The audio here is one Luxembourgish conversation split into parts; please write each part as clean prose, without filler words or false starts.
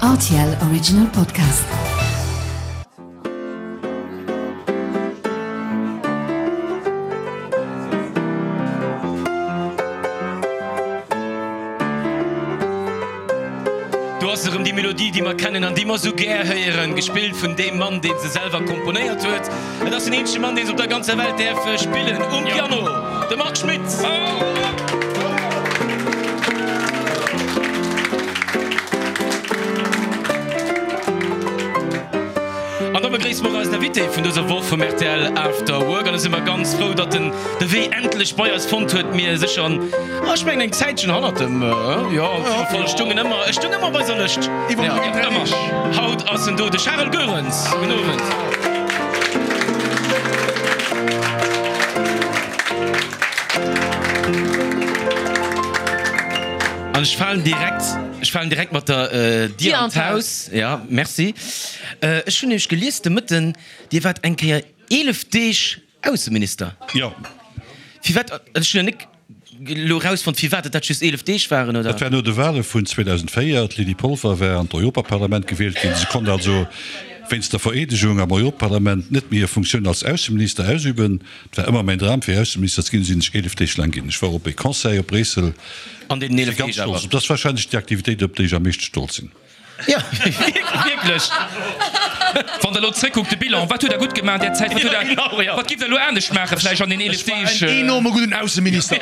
Rtl Original Podcast. Do ass erëm déi Melodie, déi mer kennen an déi mer esou gär héieren, gespillt vun deem Mann, dee se selwer komponéiert huet. Et ass den eenzege Mann, dee se op der ganzer Welt däerf spillen, um Piano, de Marc Schmitt. An da begréisse mer och eisen Invité vun dëser Woch vum rtl After Work. An da si mer ganz frou, datt en de Wee endlech bei eis fonnt huet. Mir sécher an, ah, ech mengen eng Zäitchen hannert dem, jo, op jidde Fall, ech stoungen ëmmer, ech stoung ëmmer op eiser Lëscht. Ëmmer. Haut ass en do, de Charel Goerens. Gudden Owend. An ech falen direkt, ech falen direkt mat der Dier an d'Haus. Ja, merci. Ech hunn nämlech gelies de Mëtten, Dir waart eng Kéier 11 Deeg Ausseminister. Jo. Firwat, ech hunn jo net elo erausfonnt, firwat et dat just 11 Deeg waren, oder? Dat war no de Wale vun 2004. D'Lydie Polfer war an d'Europaparlament gewielt ginn. Se konnt also wéinst der Vereedegung am Europaparlament net méi hir Funktioun als Ausseminister ausüben. Et war ëmmer mäin Dram, fir Ausseminister ze ginn. Sinn ech 11 Deeg laang ginn. Ech war op e Conseil op Bréissel. An deenen 11 Deeg awer? Dat ass warscheinlech déi Aktivitéit, op déi ech am meeschte stolz sinn. Jo, wierklech. Wann Der elo zréckkuckt, de Bilan, wat hutt Der gutt gemaach an där Zäit? Wat hutt Der, wat giff Der elo anescht maachen vläicht an den 11 Deeg? Ech war en enorme gudden Ausseminister.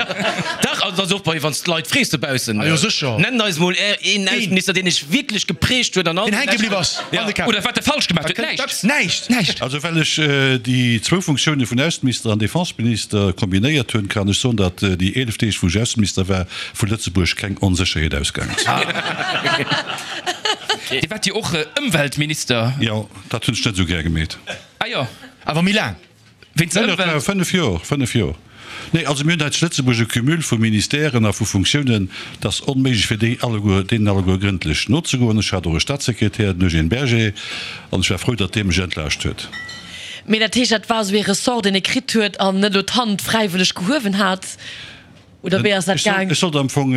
Dach, also dat ass och bei, wann s d'Leit frees dobaussen. Ah jo, sécher. Nennt eis mol är een Ausseminister, deen iech wierklech geprägt huet an all Deen hänke bliww ass an de Käpp. Oder wat e falsch gemaach huet. Näischt. Näischt. Näischt. Also well ech déi zwou Funktioune vun Ausseminister an Defenseminister kombinéiert hunn, kann ech soen, datt déi 11 Deeg, wou ech Ausseminister war, vu Lëtzebuerg keng Onsécherheet ausgaangen ass. Dir waart jo och Ëmweltminister. Jo, dat hunn ech net esou gär gemeet. Ah jo. Awer méi laang. Wéinst der Ëmwelt? Dat war 5 Joer, 5 Joer. Nee, also mir hunn hei zu Lëtzebuerg e Cumul vu Ministèren a vu Funktiounen, et ass onméiglech fir déi alleguer, deenen alleguer grëndlech nozegoen. Ech hat och e Staatssekretär, den Eugène Berger, an ech war frou, datt dee mech entlaascht huet. Mee dat heescht, dat war esou ee Ressort, deen ee kritt huet an net elo d'Hand fräiwëlleg gehuewen hat? Oder wéi ass dat gaang? Ech sollt am Fong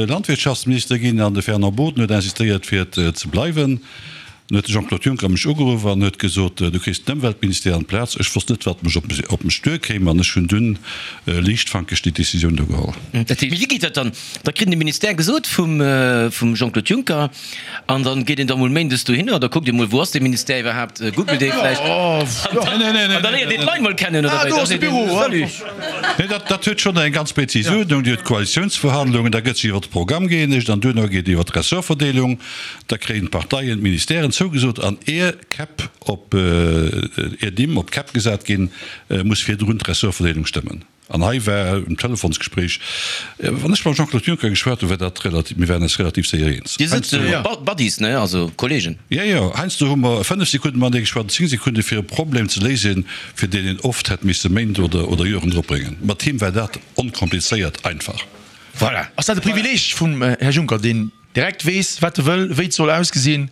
Landwirtschaftsminister ginn an de Fernand Boden huet insistéiert fir et ze bleiwen. Dann huet de Jean-Claude Juncker mech ugeruff an huet gesot, du kriss den Ëmweltministère an d'Plaz. Ech wosst net wat mech op mech duerkéim an ech hunn dunn liichtfankeg déi Decisioun do geholl. Mee wéi geet dat dann? Da kritt een de Ministère gesot vum Jean-Claude Juncker An dann geet een da mol méindes dohinner, da kuckt ee mol, wou ass dee Ministère iwwerhaapt, googelt ee vläicht. An da léiert een d'Leit mol kennen, oder wéi? Da seet een, Salut. Nee, dat, dat huet schonn eng ganz prezis Uerdnung. Dir hutt d'Koalitiounsverhandlungen, da gëtt sech iwwer de Programm gëeenegt an duerno geet iwwer d'Ressortverdeelung. Da kréien d'Parteien d'Ministèren zougesot an ier Käpp op, ier Nimm op d'Käpp gesat ginn, muss virdrun d'Ressortverdeelung stëmmen. An hei war um Telefonsgespréich, wann ech mam Jean-Claude Juncker geschwat hunn, war dat relativ, mir waren eis relativ séier eens. Dir sidd Buddies, ne? Also Kollegen. Jo, jo. Heiansdo hu mer 5 Sekunde matenee geschwat, 10 Sekunde fir e Problem ze léisen, fir deen een oft hätt misse Méint oder oder Joren dropbréngen. Mat him war dat onkomplizéiert einfach. Voilà. Ass dat e Privileeg vum Här Juncker, deen direkt weess, wat e wëll, wéi et soll ausgesinn?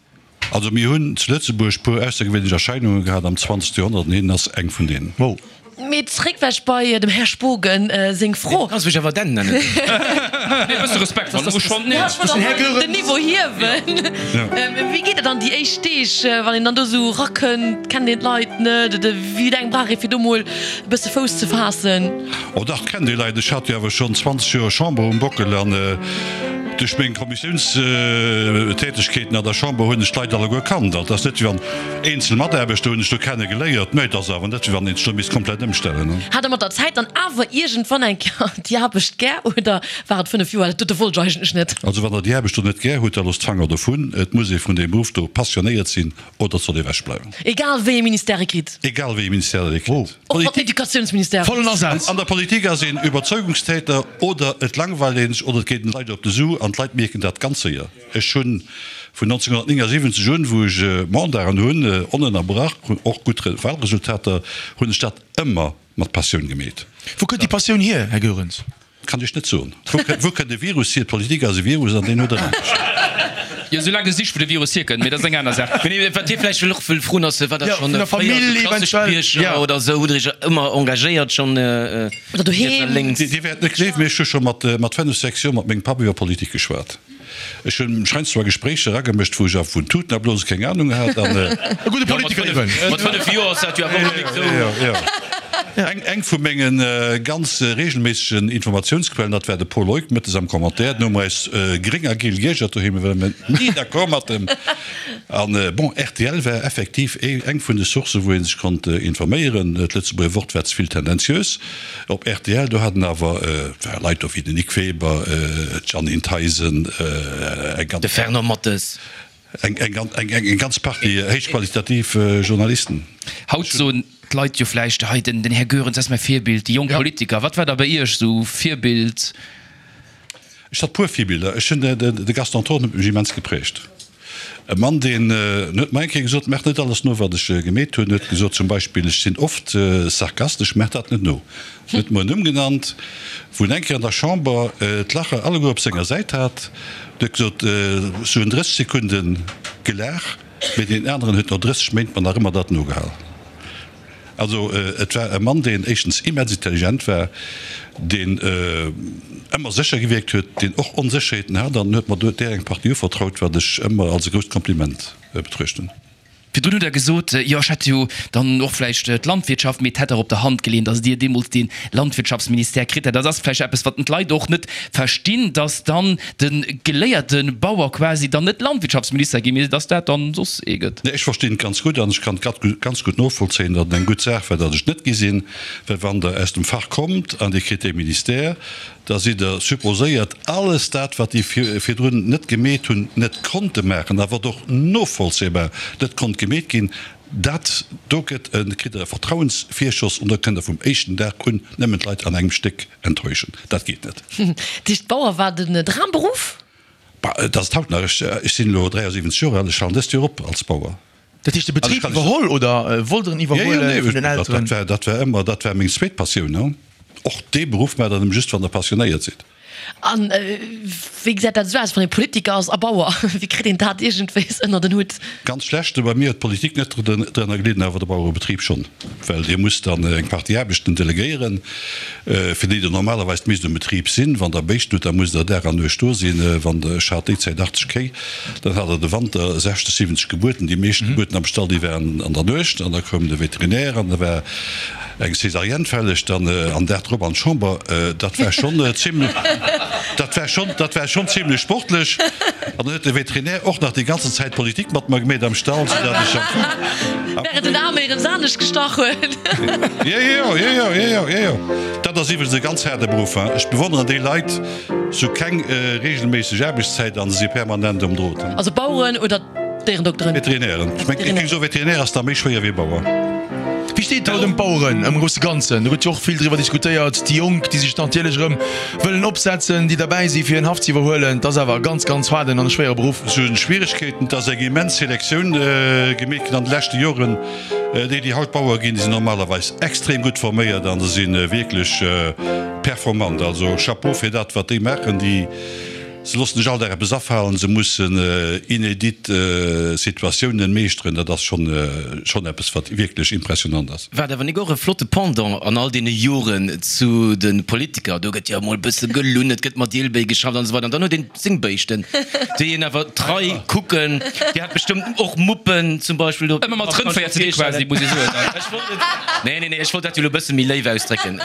Also mir hunn zu Lëtzebuerg puer aussergewéinlech Erscheinunge gehat am 20. Joerhonnert an hien ass eng vun deenen. Wow. Mee zréck wech bei dem Här Spogen seng Fro. Du kanns mech awer den nennen. Nee, e bësse Respekt wann muss schonn. Ja, ech wollt och den Niveau hiewen. Wéi geet dat dann déi éischt Deeg, wann een dann do esou erakënnt, kennt een d'Leit net oder wéi laang brauch ee fir do mol e bësse Fouss ze faassen? Oh dach, kennt ee Leit. Ech hat jo awer schonn 20 Joer Chamber um Bockel an duerch meng Kommissiounstätegkeeten an der Chamber hunn ech d'Leit alleguer kannt. Also et ass net wéi wann eenzel Mataarbechter hunn ech do kenne geléiert, mä et ass awer net wéi wann een sech do misst komplett ëmstellen. Hat Der mat der Zäit dann awer iergendwann eng Kéier déi Aarbecht gär oder war et 5 Joer, dat dote wollt ech eigentlech net? Also wann Der déi Aarbecht do net gär hutt, da loosst d'Fanger dovun. Et muss ee vun deem Beruff do passionéiert sinn oder et soll ee ewechbleiwen. Egal wéi ee Ministère ee kritt? Egal wéi ee Ministère ee kritt. Och wann Educatiounsministère. Vollen Asaz. An der Politik ass een Überzeugungstäter oder et langweilt een sech oder et geet den Leit op de Su an d'Leit mierken dat ganz séier. Ech hunn vun 1979 un, wou ech Mandaten hunn, onënnerbrach, och gutt Wahlresultater, hunn ech dat ëmmer mat Passioun gemeet. Wou kënnt déi Passioun hier, Här Goerens? Kann ech net soen. Wou kënnt e Virus hier? D'Politik ass e Virus an deen huet en anescht. Jo, sou laang gesicht wou de Virus hierkënnt, mee dat ass eng aner Saach. Mee wat hie vläicht och wëll froen ass, war dat schonn fréier esou klassesch Bierger oder esou? Hutt Der Iech ëmmer engagéiert schonn riets a lénks? Dir wäert net gleewen, mee ech hu scho mat 5, 6 Joer mat mengem Papp iwwer Politik geschwat. Ech hunn mech heiansdo a Gespréicher eragemëscht, wou ech awer vun Tuten a Blose keng Anung hat. An E gudde Politiker eben. Mat 5 Joer ass dat jo awer och nik esou. Jo, jo. Eng, eng vu menge ganz reegelméissegen Informatiounsquellen, dat war de Paul Leuck, mëttes am Commentaire. Den hu mer eis gréng a giel giergert doheem, well mer ni d'accord mat em. An bon, rtl war effektiv eng vun de Sourcen, wou ee sech konnt informéieren. D'Lëtzebuerger Wort war ze vill tendenziös. Op rtl, do haten awer, et ware Leit do wéi den Nic Weber, d'Jeanine Theisen, eng ganz. De Fernand Mathes. Eng, eng, eng, eng ganz Partie héichqualitativ Journalisten. Haut soen d'Leit jo vläicht, hei den, den Här Goerens ass mäi Virbild, déi jonk Politiker. Wat war da bei Iech esou Virbild? Ech hat puer Virbiller. Ech hunn, de Gaston Thorn huet mech immens geprägt. E Mann, deen huet mer eng Kéier gesot, Maach net alles no, wat ech gemeet hunn. Huet gesot zum Beispill, ech sinn oft sarkastesch, maach dat net no. Huet mer en Numm genannt, wou en eng Kéier an der Chamber d'Lacher alleguer op senger Säit hat. Huet gesot, ech hunn 30 Sekunde gelaach, mee deen aneren huet no 30 Méint mer nach ëmmer dat nogehal. Also et war e Mann, deen éischtens immens intelligent war, deen ëmmer sécher gewierkt huet, deen och Onsécherheeten hat an en huet mer do där eng Partie uvertraut, wat ech ëmmer als e grousst Kompliment betruecht hunn. Virdrun hutt Der gesot, jo ech hätt jo dann och vläicht d'Landwirtschaft, mee et hätt der op der Hand geleeën, datt Dir deemools dee Landwirtschaftsministère kritt hätt. Dat ass vläicht eppes, wat d'Leit och net verstinn, datt dann de geléierte Bauer quasi dann net Landwirtschaftsminister ginn, mee dass dat dann soss ee gëtt. Nee, ech verstinn et ganz gutt an ech kann et ganz gutt novollzéien, datt et eng gutt Saach war, datt ech et net gi sinn, well wann Der aus dem Fach kommt an Dir kritt dee Ministère, da sidd Der supposéiert, alles dat, wat déi virdrun net gemeet hunn, net konnte maachen a wat och novollzéibar net konnt gemeet ginn, dat do gëtt e, kritt Der e Vertrauensvirschoss an da kënnt Der vum éischten Dag un nëmmen d'Leit an engem Stéck enttäuschen. Dat geet net. Dat heescht, Bauer war den Dramberuff? Bah, et ass et haut nach. Ech, ech sinn elo 73 Joer al, ech halen dëst Joer op als Bauer. Dat heescht, de Betrib iwwerholl oder wollt Der en iwwerhuele vun den Elteren? Dat war, dat war ëmmer, dat war meng zweet Passioun. Och dee Beruff maacht Der nëmme just, wann Der passionéiert sidd. An wéi gesäit dat esou aus, wann ee Politiker ass a Bauer? Wéi kritt een dat iergendwéis ënnert en Hutt? Ganz schlecht. Bei mir huet d'Politik net drënner gelidden, awer de Bauerebetrib schonn. Well Dir musst dann eng Partie Aarbechten delegéieren, fir déi Der normalerweis misst um Betrib sinn. Wann Der Béischten hutt, da musst Der Dag an Nuecht do sinn. Wann Der, ech hat déi Zäit 80 Kéi, dann hat Der de Wanter 60, 70 Gebuerten. Déi meescht Gebuerten am Stall, déi waren an der Nuecht. An da koum de Veterinär an da war Eng Césarienne fälleg, dann an Dag drop an d'Chamber, dat war schonn zimlech, dat war schonn, dat war schonn zimlech sportlech. An dann huet de Veterinär och nach déi ganzen Zäit Politik mat mer gemeet am Stall, soudatt ech am Fong. Während den Aarm éierens anescht gestach huet. Jo, jo, jo, jo, jo, jo, jo. Dat ass iwwregens e ganz haarde Beruff, hein. Ech bewonneren déi Leit, se hu keng reegelméisseg Aarbechtszäit an se si permanent um Drot. Also Baueren oder Déierendokteren? Veterinären. Ech mengen, ech géing soen, Veterinär ass da méi schwéier wéi Bauer. Wéi steet et haut ëm d'Baueren am grousse Ganzen? Do gëtt jo och vill driwwer diskutéiert. Déi Jonk, déi sech natierlech erëm wëllen opsetzen, déi derbäi si fir en Haff ze iwwerhuelen. Et ass awer e ganz, ganz haarden an e schwéiere Beruff. Se hunn Schwieregkeeten. Et ass eng immens Selektioun gemeet ginn an de leschte Joren. Déi, déi haut Bauer ginn, déi sinn normalerweis extrem gutt forméiert an se si wierklech performant. Also Chapeau fir dat, wat déi maachen. Déi. Se loossen sech all Dag eppes afalen, se mussen inédit Situatiounen meeschteren, dat ass schonn schonn eppes wat wierklech impressionant ass. War et awer nik och e flotte Pendant an all deene Joren zu de Politiker? Do gëtt jo emol e bësse gelunn, et gëtt mat Ielbéi geschafft an esou weider an dann huet een seng Béischten, déi een awer trei kucken. Dir hat bestëmmt och Muppen zum Beispill do. Ëmmer mat Rëndvéier ze di quasi, muss ee soen. Ech wollt et, nee, nee, nee, ech wollt dat jo elo e bësse méi léif ausdrécken.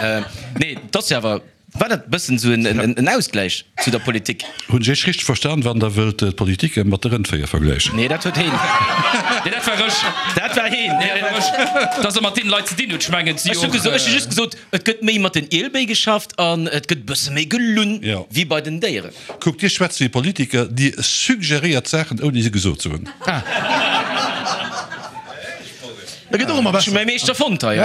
Nee, et ass jo awer. War dat bëssen sou en Ausgläich zu der Politik? Hunn ech Iech richteg verstan, wann Der wëllt d'Politiker mat de Rëndvéier vergläichen? Nee, dat huet heen. Nee, dat war ech. Dat war heen. Nee, dat war ech. Dass e mat deene Leit ze dinn huet, ech mengen, et si jo och. Ech hu just gesot, et gëtt méi mat den Ielbéi geschafft an et gëtt bësse méi gelunn wéi bei den Déieren. Kuckt, Dir schwätzt wéi Politiker, Dir suggeréiert Saachen, ouni se gesot ze hunn. Dat gëtt och ëmmer besser. Ech hu mäi Meeschter fonnt hei.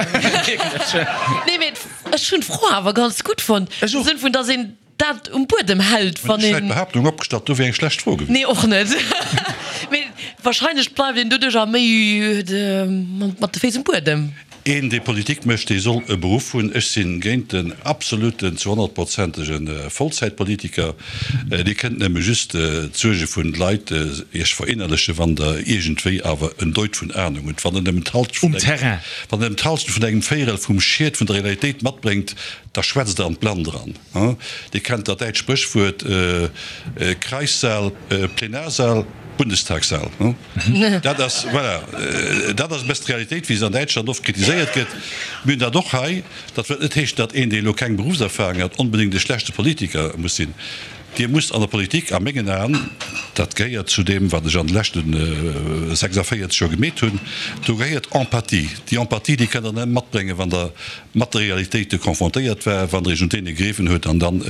Nee, mee Ech hunn d'Fro awer ganz gutt fonnt, am Sënn vun, dass een dat um Buedem hält, wann een. Ech hätt d'Behaaptung opgestallt, do wier eng schlecht Fro gewiescht. Nee, och net. Mee wahrscheinlech bleift een doduerch a méi mat de Féiss um Buedem. Een, dee Politik mécht, dee soll e Beruff hunn. Ech si géint den absoluten, zu honnertprozentege Vollzäitpolitiker. Dir kënnt nëmme just d'Suerge vun de Leit Iech verinnerlechen, wann Der iergendwéi awer en Deut vun Ahnung hutt. Wann Der nëmmen d'Halschent vun engem, wann Der nëmmen d'Halschent vun engem Véierel vum Schiet vun der Realitéit matbréngt, da schwätzt Der an d'Blannt eran. Dir kennt dat däitscht Spréchwuert, Kreissaal, Plenarsaal, Bundestagssaal. Dat ass, voilà, dat ass e bëssen d'Realitéit, wéi se an Däitschland oft kritiséiert gëtt. Mir hunn dat och hei. Dat wëllt net heeschen, datt een, dee elo keng Beruffserfahrung hat, onbedéngt e schlechte Politiker muss sinn. Dir musst an der Politik a mengen Aen, dat gehéiert zu deem, wat ech an de leschte 46 Joer gemeet hunn, do gehéiert Empathie. Déi Empathie, déi kënnt Der nëmme matbréngen, wann Der mat de Realitéite confrontéiert war, wann Der Iech un deene gegriffen hutt, an dann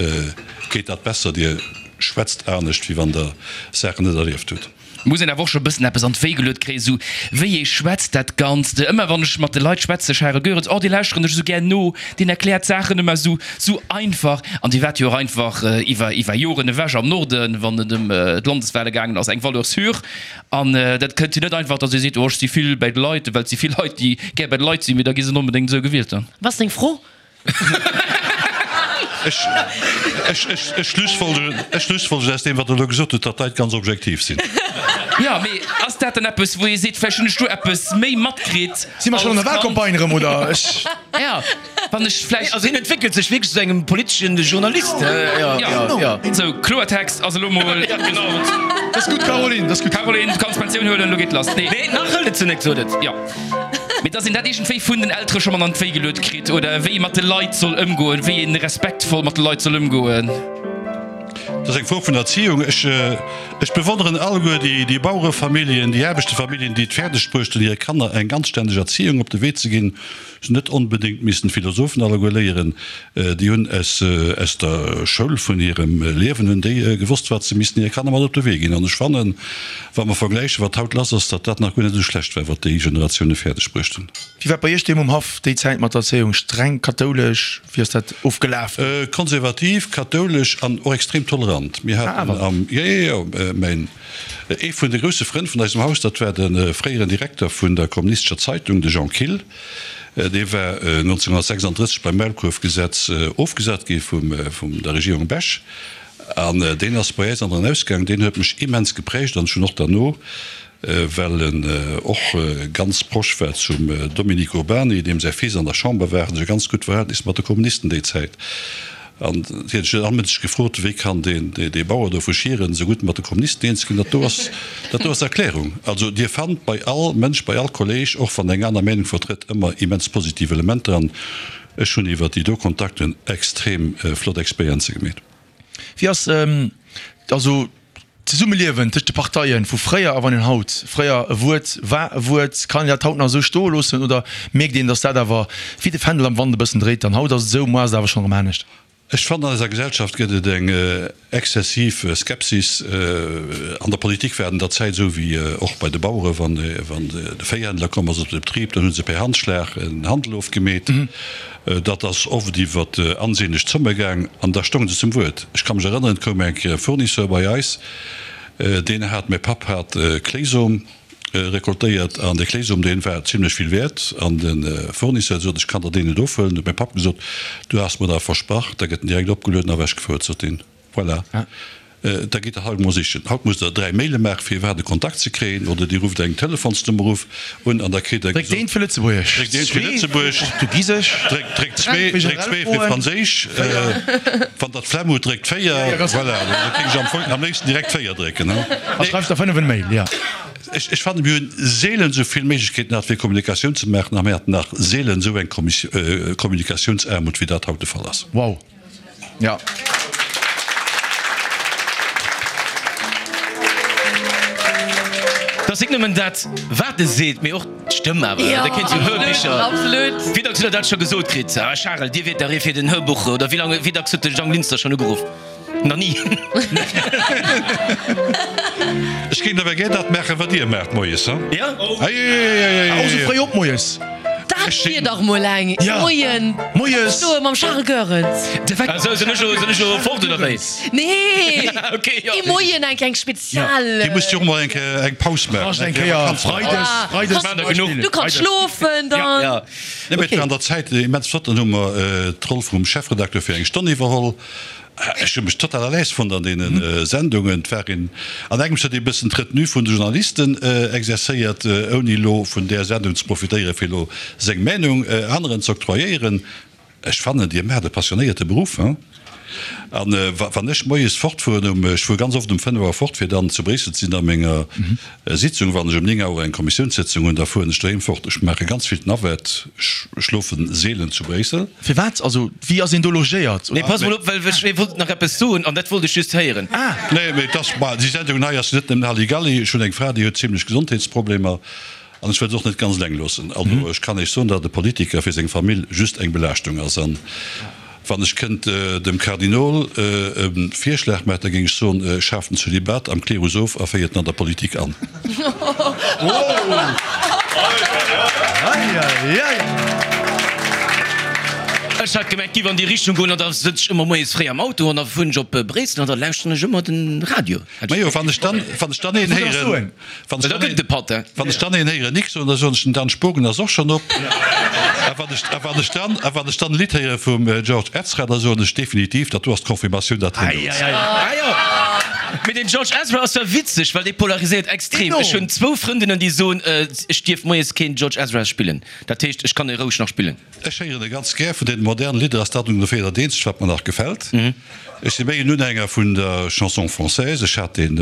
geet dat besser. Dir schwätzt anescht, wéi wann Der Saachen net erlieft hutt. Muss een awer och scho bëssen eppes an d'Wéi geluet kréien, esou wéi ee schwätzt dat Ganzt. Ëmmer wann ech mat de Leit schwätze, Charel Goerens, oh dee lauschteren ech esou gär no, deen erkläert d'Saachen ëmmer esou, esou einfach. An Dir waart jo och einfach iwwer, iwwer Joren ewech am Norden, wann et ëm d'Landeswale gaangen ass, eng Valeur sûre. An dat kënnt jo net einfach, datt ee seet, oh ech si vill bäi de Leit, well et si vill Leit, déi gär bäi de Leit sinn, mee da gi se net onbedéngt esou gewielt dann. Wat ass deng Fro? Ech schlussfolgeren aus deem, wat Der elo gesot hutt, datt d'Leit ganz objektiv sinn. Jo, mee ass dat dann eppes, wou ee seet, vläicht hunn ech do eppes méi matkritt Si mer schonn an der Wahlcampagne erëm, oder? Ech. Jo, wann ech vläicht. Also hien entwéckelt sech wierklech zu engem politeschen Journalist. Jo, jo. Sou, Kloertext ass elo mol. Genau. Dat ass gutt, Caroline, dat ass gutt. Caroline, du kanns Pensioun huelen, elo geet lass. Nee, nach hëlt et se net, sot et. Jo. Mee dass een dat iergendwéi vun den Eltere scho mat an d'Wéi geluet kritt oder wéi ee mat de Leit soll ëmgoen, wéi ee respektvoll mat de Leit soll ëmgoen. Dat ass eng Fro vun Erziehung. Ech, ech bewonneren alleguer déi, déi Bauerefamilljen, déi Aarbechtefamilljen, déi et fäerdeg bruecht hunn, hire Kanner eng anstänneg Erziehung op de Wee ze ginn. Se hunn net onbedéngt missen Philosophen alleguer léieren. Déi hunn aus, aus der Schoul vun hirem Liewen hunn déi gewosst, wat se missten hire Kanner mat op de Wee ginn. An ech fannen, wa mer vergläichen, wat haut lass ass, datt dat nach guer net esou schlecht war, wat déi Generatioune fäerdeg bruecht hunn. Wéi war et bei Iech deem um Haff déi Zäit mat der Erzéiung? Streng kathoulesch? Wéi ass dat ofgelaf? Konservativ, kathoulesch an och extrem tolerant. Mir haten am, jo, jo, jo, mäin, ee vun de grousse Frënn vun eisem Haus, dat war de fréieren Direkter vun der Kommunistescher Zeitung, de Jean Kill. Dee war 1936 beim Maulkuerfgesetz ofgesat gi vum der Regierung Bech. An deen ass bei äis an den Ausgang. Deen huet mech immens geprägt an ech hunn och derno, well en och ganz proche war zum Dominique Urbany, deem säi Fils an der Chamber war, hat ech e ganz gutt Verhältnis mat de Kommunisten déi Zäit. An hien huet sech allmëtteg gefrot, wéi kann deen, dee Bauer do vu Schieren esou gutt mat de Kommunisten eens ginn. Dat do ass, dat do ass d'Erklärung. Also Dir fannt bei all Mënsch, bei all Kolleg, och wann eng aner Meenung vertrëtt, ëmmer immens positiv Elementer. An ech hunn iwwer déi do Kontakten extrem flott Experienze gemeet. Wéi ass also d'Zesummeliewen tëscht de Parteien vu fréier a wann een haut, fréier e Wuert war e Wuert, kann een dat haut nach esou stoe loossen oder mierkt een, datt dat awer wéi de Fändel am Wand e bëssen dréit an haut ass et esou, muer ass et awer schonn erëm anescht? Ech fannen, an eiser Gesellschaft gëtt et eng exzessiv Skepsis. An der Politik war et an der Zäit esou wéi och bei de Baueren, wann de Véihändler komm ass op de Betrib, dann hu se per Handschlag en Handel ofgemeet. Dat ass oft iwwer ansehnlech Zomme gaang an da stounge se zum Wuert. Ech ka mech erënneren, et koum eng Kéier e Fournisseur bei eis, deen hat, mäi Papp hat Kléisom recoltéiert an dee Kléisom, dee war zimlech vill wäert an de Fournisseur sot, ech kann der deen net ofhuelen. Huet mäi Papp gesot, du has mer dat versprach, da gëtt en direkt opgelueden a ewechgefouert, sot deen. Voilà. Da gitt Der haut emol sichen. Haut musst Der 3 Maile maachen, fir iwwerhaapt e Kontakt ze kréien, oder Dir rufft eng Telefonsnummer of un an da kritt Der gesot. Dréckt eent fir Lëtzebuergesch, Dréckt eent fir Lëtzebuergesch, Portugisesch, dréckt zwee, dréckt zwee fir Franséisch, wann Der d'Flemm hutt, dréckt 4. Voilà, da géing ech am Fong am léifsten direkt 4 drécken. A schreift der 5 en Mail, jo. Ech fannen, mir hunn seelen esou vill Méiglechkeeten gehat, fir Kommunikatioun ze maachen, a mir haten nach seelen esou eng Kommunikatiounsaarmut, wéi dat haut de Fall ass. Wow. Ja. Dat ass nik nëmmen dat, wat e seet, mee och d'Stëmm awer. Ja, Da kéint sou absolut, Hörbicher. absolut. Wéi dacks hutt Der dat scho gesot kritt? Ah Charel, Dir wiert dach ee fir den Hörbuch, oder wéi laang, wéi dacks huet de Jang Linster schonn ugeruff? Nach ni. Ech géing awer gär dat maachen, wat Dir maacht moies, ha? Ja? Eieieiei. Och sou fréi op moies? Dat. Dat wier dach mol eng! Moien! Moies! Opstoe mam Charles Goerens! Ah sou, sinn ech elo, sinn ech elo fort oder wéi? Nee! Ok, jo. Ee Moien eng kleng Spezial. Dir musst jo och mol eng Kéier eng Paus maachen. Eng Kéier Freides, Freides Maachen der genuch. Du kanns schlofen dann. Ja. Nee, mee et war an der Zäit immens flott. Dann hu mer d'Roll vum Chefredakteur fir eng Stonn iwwerholl. Ech hu mech total à l'aise fonnt an deene Sendungen. Et war een, an engems huet ee bëssen d'Retenue vun de Journalisten exerzéiert, ouni elo vun där Sendung ze profitéieren, fir elo seng Meinung aneren ze octroyéieren. Ech fannen, Dir maacht e passionéierte Beruff, hein. An wann ech moies fortfueren um, ech fuere ganz oft um 5 Auer fort, fir dann zu Bréissel ze sinn a menger Sitzung, wann ech um 9 Auer eng Kommissiounssëtzung hunn, da fueren ech doheem fort. Ech maache ganz vill d'Navette, ech schlofe seelen zu Bréissel. Firwat? Also wéi ass een do logéiert? Nee, pass mol op, well ech wollt nach eppes soen an dat wollt ech just héieren. Ah! Nee, mee et ass, ma déi Sendung hei ass net nëmmen Halligalli. Ech hunn eng Fra, déi huet zimlech Gesondheetsproblemer an ech wëll se och net ganz eleng loossen. Also ech kann Iech soen, datt e Politiker fir seng Famill just eng Belaaschtung ass. An wann ech kënnt dem Kardinol e Virschlag maachen, da géing ech soen, Schaaft den Zölibat am Klerus of a féiert en an der Politik an. Ech hat gemengt, giff an déi Richtung goen an da sëtz ech ëmmer moies fréi am Auto an da fueren ech op Bréissel an da lauschteren ech ëmmer den Radio. Majo, wann ech dann, wann ech dann een héieren, wann ech dann een, wann ech dann een héieren Nix soen, da soen ech, den Dan Spogen ass och schonn op. A wann ech, a wann ech dann, a wann ech dann e Lidd héiere vum George Ezra, da soen ech definitiv, dat do ass d'Confirmatioun, datt hien do ass. Ah jo, mee den George Ezra ass zwar witzeg, well dee polariséiert extrem. Ech hunn zwou Frëndinnen, déi soen, ech dierf moies keen George Ezra spillen. Dat heescht, ech kann e roueg nach spillen. Ech héieren e ganz gär. Vun den modernen Lidder ass dat ongeféier dat eenzegt, wat mer nach gefält. Ech si méi en Unhänger vun der Chanson française. Ech hat deen,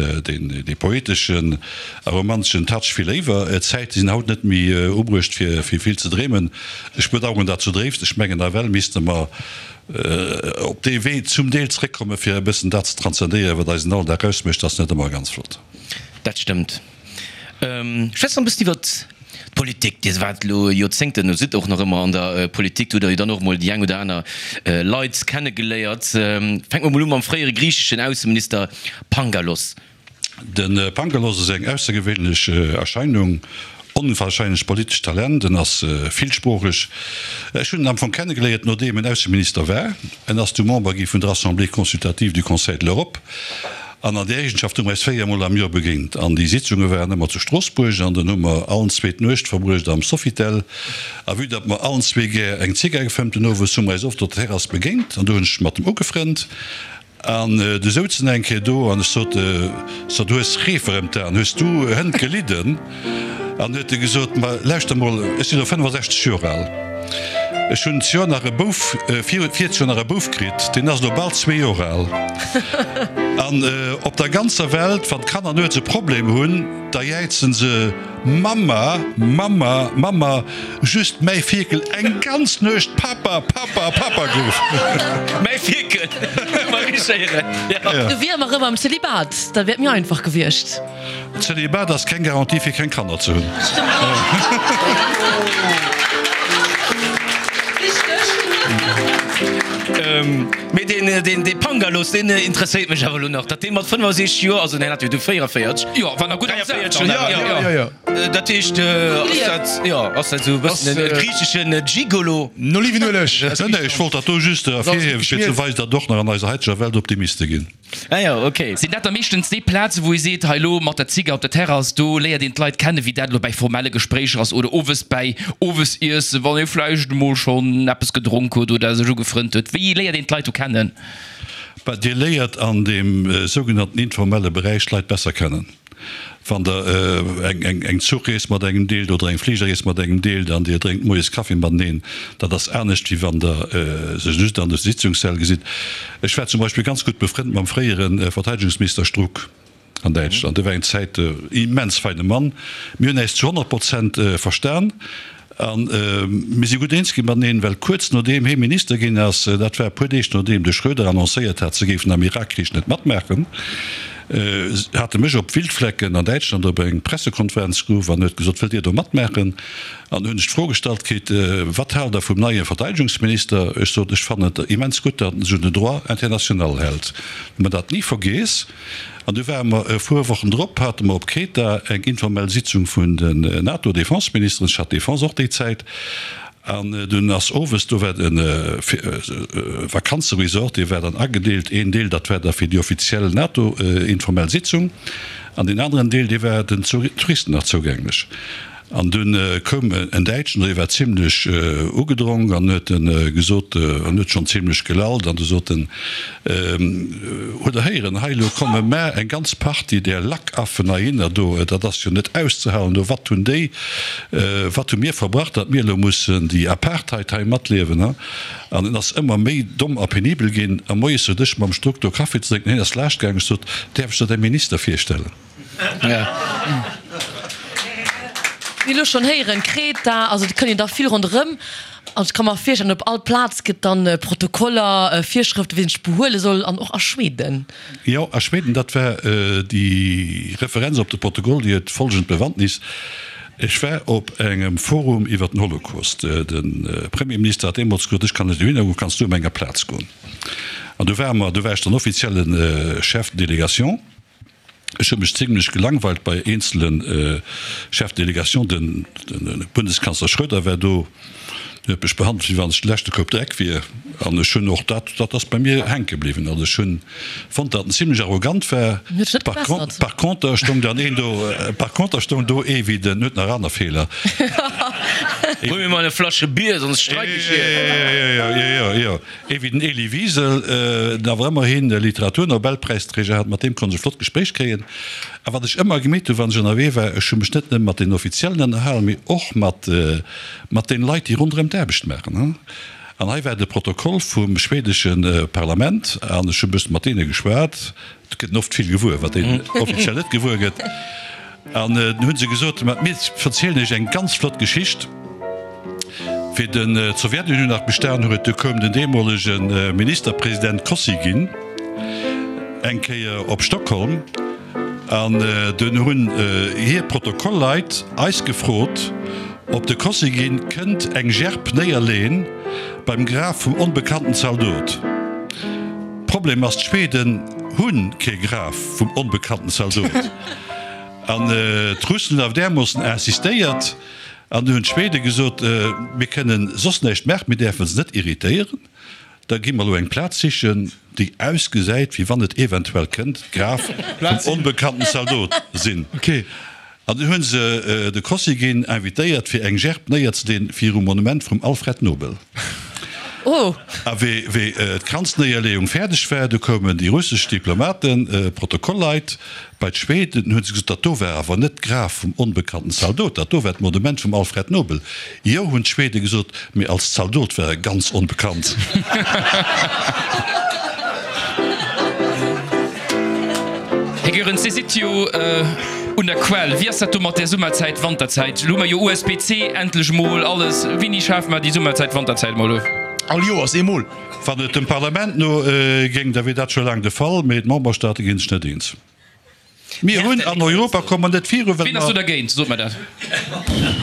dee poeteschen a romanteschen Touch vill léiwer. D'Zäite sinn haut net méi ubruecht, fir vill ze dreemen. Ech bedauern dat zudréifst. Ech mengen, nawell misste mer op dee Wee zum Deel zréckkommen, fir e bëssen dat ze transzendéieren, wat eisen Alldag ausmécht. Dat ass net ëmmer ganz flott. Dat stëmmt. Schwätz nach e bëssen iwwert d'Politik. Dir waart elo Joerzéngten, oder sidd och nach ëmmer an der Politik. Do hutt Der jo dann och emol déi eng oder aner Leit kennegeléiert. Fänke mer emol u mam fréiere griicheschen Ausseminister Pangalos. De Pangalos ass eng aussergewéinlech Erscheinung, onwahrscheinlecht politescht Talent. En ass villsproocheg. Ech hunn en am Fong kennegeléiert nodeem en Ausseminister war. En ass du Member gi vun der Assemblée consultative du Conseil de l'Europe an an där Eegenschaft hu mer eis 4 mol am Joer begéint. An déi Sitzunge waren ëmmer zu Stroossbuerg an dann hu mer allen zwee d'Nuecht verbruecht am Sofitel. A vue datt mer allen zwee gär eng Zigar gefëmmt hunn owes, hu mer eis oft op der Terrass begéint an do hunn ech mat em ugefrënnt. An du souzen eng Kéier do an ech sot, So, du hues Reefer ëm d'Aen, hues du hënt gelidden? An huet e gesot, Ma lauschter mol, ech sinn elo 65 Joer al, ech hunn d'Joer nach e Bouf, virzt Joer nach e Bouf kritt, deen ass elo bal zwee Joer al. An op der ganzer Welt, wann d'Kanner nuets e Problem hunn, da jäizen se, Mamma, Mamma, Mamma, just mäi Fierkel eng ganz Nuecht Papa, Papa, Papa geruff. Mäi Fierkel, Marie-Schéieren, jo. Du wier mer erëm am Zölibat, dat wier et méi einfach gewiescht. Zölibat ass keng Garantie fir keng Kanner ze hunn. Mee deen, dee Pangalos, deen interesséiert mech awer elo nach, datt dee mat 65 Joer, also deen hat jo du 44, Jo, war nach gutt am Saz dann awer. Jo, jo, jo. Dat heescht, ass dat, jo, ass dat esou e bëssen e griicheschen Gigolo? No Olivenueleg. Nee, nee, ech wollt dat do just ervirhiewen, fir ze weisen, datt och nach an eiser haiteger Welt Optimiste ginn. Ah jo, ok. Sinn dat da meeschtens déi Plazen, wou ee seet, hei elo mat der Zigar op der Terrass, do léiert een d'Leit kennen, wéi dat elo bäi formelle Gespréicher ass oder owes bäi Owesiessen, wann ee vläicht emol schonn eppes gedronk huet oder sech ugefrënnt huet? Wéi léiert een d'Leit do kennen? Bah, Dir léiert an deem sougenannten informelle Beräich d'Leit besser kennen. Wann Der eng Zuchrees mat engem deelt oder eng Fligerrees mat engem deelt an Dir drénkt moies Kaffi mateneen, dat ass anescht, wéi wann Der sech just an de Sitzungssäll gesitt. Ech war zum Beispill ganz gutt befrënnt mam fréiere Verteidegungsminister Struck an Däitschland. Dee war eng Zäit e immens feine Mann. Mir hunn äis zu 100 Prozent verstan. A mir si gutt eens gi mateneen, well kuerz nodeem hee Minister ginn ass, dat war e puer Deeg nodeem de Schröder annoncéiert hat, se géifen am Irakkrich net matmaachen, hat e mech op Wildflecken an Däitschland op eng Pressekonferenz geruff an huet gesot, Wëllt Dir do matmaachen? An hunn ech d'Fro gestallt kritt, Wat haalt Der vum neie Verteidegungsminister? Ech sot, Ech fannen et immens gutt, datt en sech un den Droit international hält. Hu mer dat ni vergeess. An du ware mer e puer Wochen drop, hate mer op Kreta eng informell Sitzung vun den NATO-Defenseministeren, ech hat d'Defense och déi Zäit. An dunn ass owes, do war e Vakanzeresort, dee war dann agedeelt, een Deel, dat war da fir déi offiziell NATO-informell Sitzung, an deen aneren Deel, dee war den Touristen nach zougänglech. An dunn koum en Däitschen, dee war zimlech ugedronk an huet gesot, an huet schonn zimlech gelallt, an du sot en, Hutt Der héieren, hei elo komme mar eng ganz Partie där Lackaffen heihinner do, dat ass jo net auszehalen do, wat hunn déi, wat hu mir verbrach, datt mir elo mussen déi Apartheid hei matliewen, ha? An en ass ëmmer méi domm a penibel ginn. A moies sot ech mam Struck do Kaffi ze drénken, hien ass laascht gaangen, ech sot, Däerf ech der däi Minister virstellen? Mir elo schonn héieren, Kreta, also et kënnt een da vill ronderëm. An ech ka mer virstellen, op all Plaz gëtt dann Protokoller, Virschrëften, wéi een sech behuele soll, an och a Schweden. Jo, a Schweden, dat war déi Referenz op de Protokoll, déi huet folgend Bewandtnis, Ech war op engem Forum iwwer den Holocaust. De Premierminister hat deemools gesot, ech kann net dohinner goen, kanns du op menger Plaz goen? An du ware mer, du war ech dann offizielle Chef de délégation. Ech hu mech zimlech gelangweilt bei eenzele Chefs de délégation. Den Bundeskanzler Schröder war do, deen huet mech behandelt, wéi wann ech de leschte Koup Dreck wier. An ech hunn och dat, dat ass bei mir hänke bliwwen. Also ech hunn fonnt, datt en zimlech arrogant war. Huet sech net gebessert. Par conter stoung dann een do, par conter stoung do ee wéi den, huet nach aner Feeler. Hol mir mol eng Flasche Bier, soss streik ech hier. Jo, jo, jo, jo. Ee wéi den Elie Wiesel, den awer ëmmerhin e Literaturnobelpräisträger hat, mat deem konnt ech e flott Gespréich kréien. A wat ech ëmmer gemeet hunn, wann ech ënnerwee war, ech hu mech net nëmme mat den Offiziellen ënnerhalen, mee och mat mat den Leit, déi ronderëm d'Aarbecht maachen. An hei war de Protokoll vum schwedesche Parlament an ech hu e bësse mat deene geschwat. Et gëtt en oft vill gewuer, wat een offiziell net gewuer gëtt. An dunn hu se gesot, Ma mir verzielen iech eng ganz flott Geschicht. Wéi d'Sowjetunioun nach bestan huet, du koum den deemolege Ministerpresident Kosygin eng Kéier op Stockholm an dunn hunn hir Protokollleit eis gefrot, ob de Kosygin kënnt eng Gerb néierleen beim Graf vum onbekannten Zaldot. Problem ass, d'Schweden hu kee Graf vum onbekannten Zaldot an d'Russen hunn awer därmoossen insistéiert. An du hunn d'Schwede gesot, Mir kënnen soss näischt maachen, mir däerfe se net irritéieren, da gi mer elo eng Plaz sichen, déi ausgesäit, wéi wann et eventuell kënnt d'Graf vum onbekannten Zaldot sinn. An dunn hu se de Kosygin invitéiert, fir eng Gerb néierzeleen virum Monument vum Alfred Nobel. A wéi d'Kranznéierleeung fäerdeg war, du koumen déi russesch Diplomaten, Protokollleit, Bei d'Schweden hunn se gesot, dat do war awer net d'Graf vum onbekannten Zaldot, dat do war d'Monument vum Alfred Nobel. Jo, hunn d'Schwede gesot, mee als Zaldot war e ganz onbekannt. Här Goerens, Dir sidd jo un der Quell. Wéi ass dat do mat där Summerzäit, Wanterzäit? Elo hu mer jo USBC, endlech emol alles. Wéini schafe mer déi Summerzäit, Wanterzäit emol of? All Joers eemol. Wann et dem Parlament no géing, da wier dat scho laang de Fall, mee d'Memberstaate ginn sech net eens. Mir hunn an Europa komme mer net viru, well Wien ass do dergéint? Sot mer dat.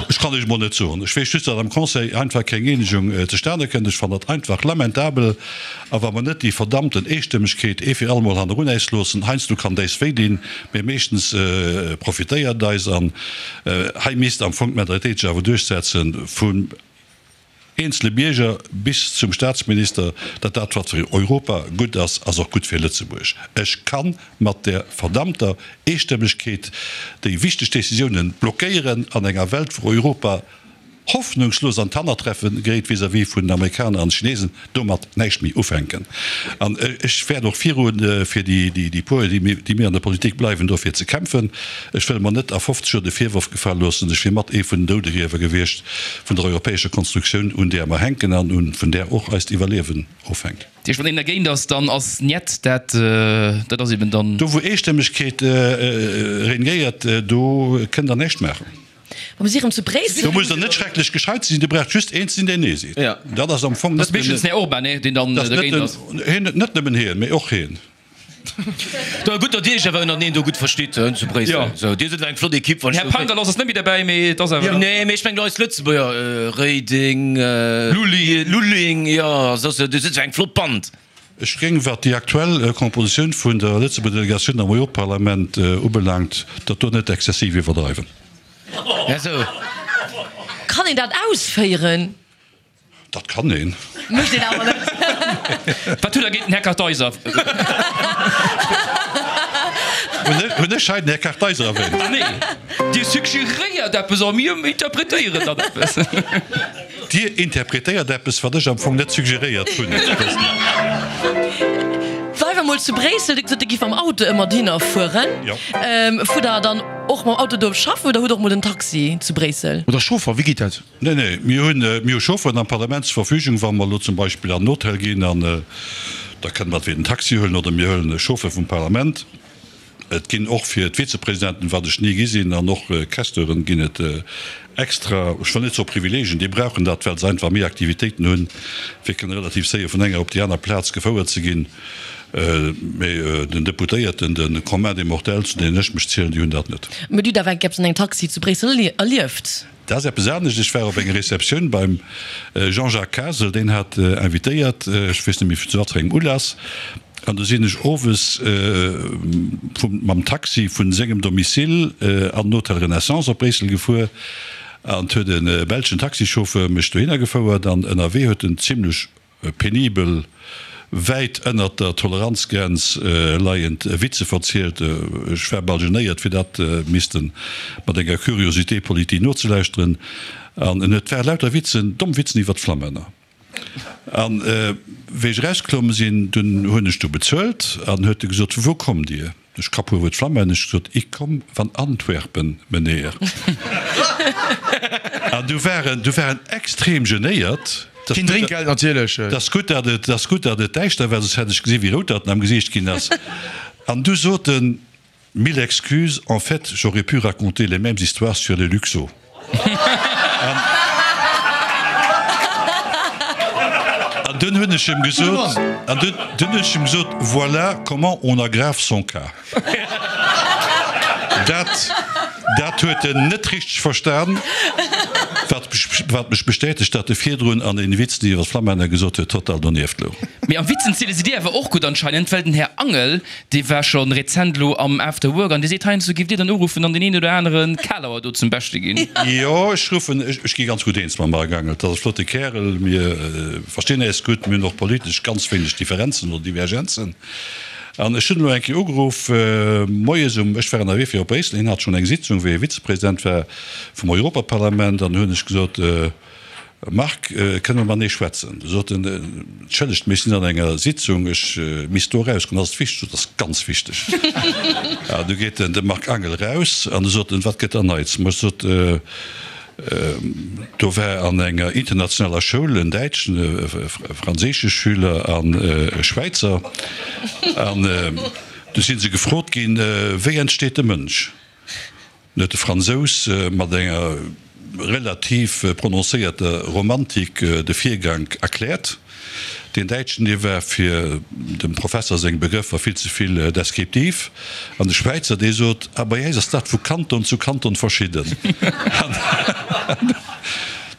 Ech kann Iech emol net soen. Ech weess just, datt am Conseil einfach keng Eenegung zustane kënnt. Ech fannen dat einfach lamentabel. A wa mer net déi verdammten Eestëmmegkeet ee fir allemol hannerun äis loossen, heiansdo kann déis wéi dinn, mee meeschtens profitéiert et eis. An hei misst am Fong d'Mentalitéit sech awer duerchsetzen vum eenzele Bierger bis zum Staatsminister, datt dat wat fir Europa gutt ass, ass och gutt fir Lëtzebuerg. Ech ka mat där verdammter Eestëmmegkeet déi wichteg Décisiounen blockéieren an enger Welt wou Europa hoffnungslos an d'Hannertreffe geréit vis-à-vis vun den Amerikaner an Chinesen, domat näischt méi ufänken. An ech wäert och virun, fir déi puer, déi mir an der Politik bleiwen, dofir ze kämpfen. Ech wëll mer net a 50 Joer de Virworf gefale loossen, ech wier mat ee vun den Doudegriewer gewiescht vun der europäescher Konstruktioun, un där mer hänken an vun där och eist Iwwerliewen ofhänkt. Dat heescht, wann een dergéint ass, dann ass Njet dat, dat ass eben dann. Do wou Eestëmmegkeet regnéiert, do kënnt Der näischt maachen. Wa mir si erëm zu Bréissel. Do musst Der net schrecklech gescheit sinn, Dir braucht just een ze sinn, deen Nee seet. Dat ass am Fong net. Dat ass meeschtens den Här Orban, nee, deen dann dergéint ass. Net nëmmen hien, mee och hien. Da gutt, datt Dir Iech awer ënnerteneen do gutt verstitt zu Bréissel. Sou, Dir sidd awer eng flott Ekipp, wann ech. Här Pangalos ass net méi derbäi, mee et ass awer. Nee, mee ech mengen eis Lëtzebuerger, Reding, Lulling, jo, soss, Dir sidd eng flott Band. Ech géing, wat déi aktuell Kompositioun vun der Lëtzebuerger Delegatioun am Europaparlament ubelaangt, dat do net exzessiv iwwerdreiwen. Kann een dat ausféieren? Dat kann een. Mécht een awer net. Wat hutt Der géint den Här Kartheiser? Hunn ech hei den Här Kartheiser erwähnt? Nee, Dir suggeréiert eppes a mir interpretéieren dann eppes. Dir interpretéiert eppes, wat ech am Fong net suggeréiert hunn. Bleiwe mol zu Bréissel. Dir hutt gesot, Dir giff mam Auto ëmmer dohinner fueren. Jo. Fuert Der dann och mam Auto do op schaffen oder hutt Der och mol den Taxi zu Bréissel? Oder Chauffer, wéi geet dat? Nee, nee, mir hunn, mir hu Chaufferen am Parlament zur Verfügung, wa mer elo zum Beispill an den Hotel ginn an da kënne mer entweder den Taxi huelen oder mir huelen e Chauffeur vum Parlament. Et ginn och fir d'Vizepresidenten, wat ech ni gi sinn, an och Questeuren ginn et extra, ech wëll net soe Privileegien, déi brauchen dat, well se einfach méi Aktivitéiten hunn, fir kënne relativ séier vun enger op déi aner Plaz gefouert ze ginn. Mee den Deputéierten, de Commun des mortels, zu deenen ech mech zielen, déi hunn dat net. Mee du hutt awer eng Kéier eppes an engem Taxi zu Bréissel erlieft? Dat ass eppes anescht. Ech war op enger Receptioun beim Jean-Jacques Kasel, deen hat invitéiert, ech weess net méi zu wat fir engem Ulass, an du sinn ech owes vum, mam Taxi vun sengem Domicile an den Hotel Renaissance op Bréissel gefuer an 't huet e belschen Taxichauffeur mech dohinner gefouert an ënnerwee huet en zimlech penibel wäit ënnert der Toleranzgrenz leiend Witze verzielt. Ech war bal genéiert, fir dat misste mat enger Curiosité politique nozelauschteren. An et ware lauter Witzen, domm Witzen iwwert d'Flammänner. An wéi ech erausklomm sinn, dunn hunn ech du bezuelt an huet e gesot, Vu wou kommt Dir? Ech ka puer Wuert Flammännesch gesot, Ik komm van Antwerpen, meneer. An du war en, du war en extrem genéiert. Keen Drénkgeld natierlech. 't ass gutt, datt et, 't ass gutt, datt et däischter war, soss hätt ech gesi wéi rout datt en am Gesiicht ginn ass. An du sot en, Mille excuses, en fait, j'aurais pu raconter les mêmes histoires sur les Luxo. An dunn hunn ech em gesot, an dunn hunn ech em gesot, voilà comment on aggrave son cas. Dat, dat huet en net richteg verstan, wat, wat mech bestätegt, datt e virdrun an den Witzen, déi iwwer d'Flammänner gesot huet, total donieft louch. Mee am Witzen ziele sidd Dir awer och gutt anscheinend, well den Här Angel, Dee war scho rezent elo am After Work an dee seet, heiansdo giff Dir dann uruffen an deen een oder anere Kalauer do zum Beschte ginn. Jo, ech ruffen, ech gi ganz gutt eens mam Marc Angel. Dat ass e flotte Kärel, mir verstinn äis gutt, mir hunn och politesch ganz wéineg Differenzen oder Divergenzen. An ech hunn elo eng Kéier ugeruff, moies um, ech war ënnerwee fir op Bréissel, hien hat schonn eng Sitzung, wéi e Vizepresident war vum Europaparlament, an hunn ech gesot, Marc, kënne mer matenee schwätzen? Du sot en, Entschëllegt, mee ech sinn an enger Sitzung, ech misst do erausgoen. Ass et wichteg? Sot, Ass ganz wichteg. A du geet den de Marc Angel eraus an du sot en, Wat gëtt da Neits? Ma ech sot, Do war an enger internationaler Schoul en däitschen, e franséische Schüler an e Schwäizer. An du si se gefrot ginn, Wéi entsteet de Mënsch? Huet de Fransous mat enger relativ prononcéierter Romantik de Virgank erkläert. Deen Däitschen, dee war fir dem Professer seng Begrëffer vill ze vill deskriptiv. An de Schwäizer, dee sot, Ah, bei äis ass dat vu Kanton zu Kanton verschidden. An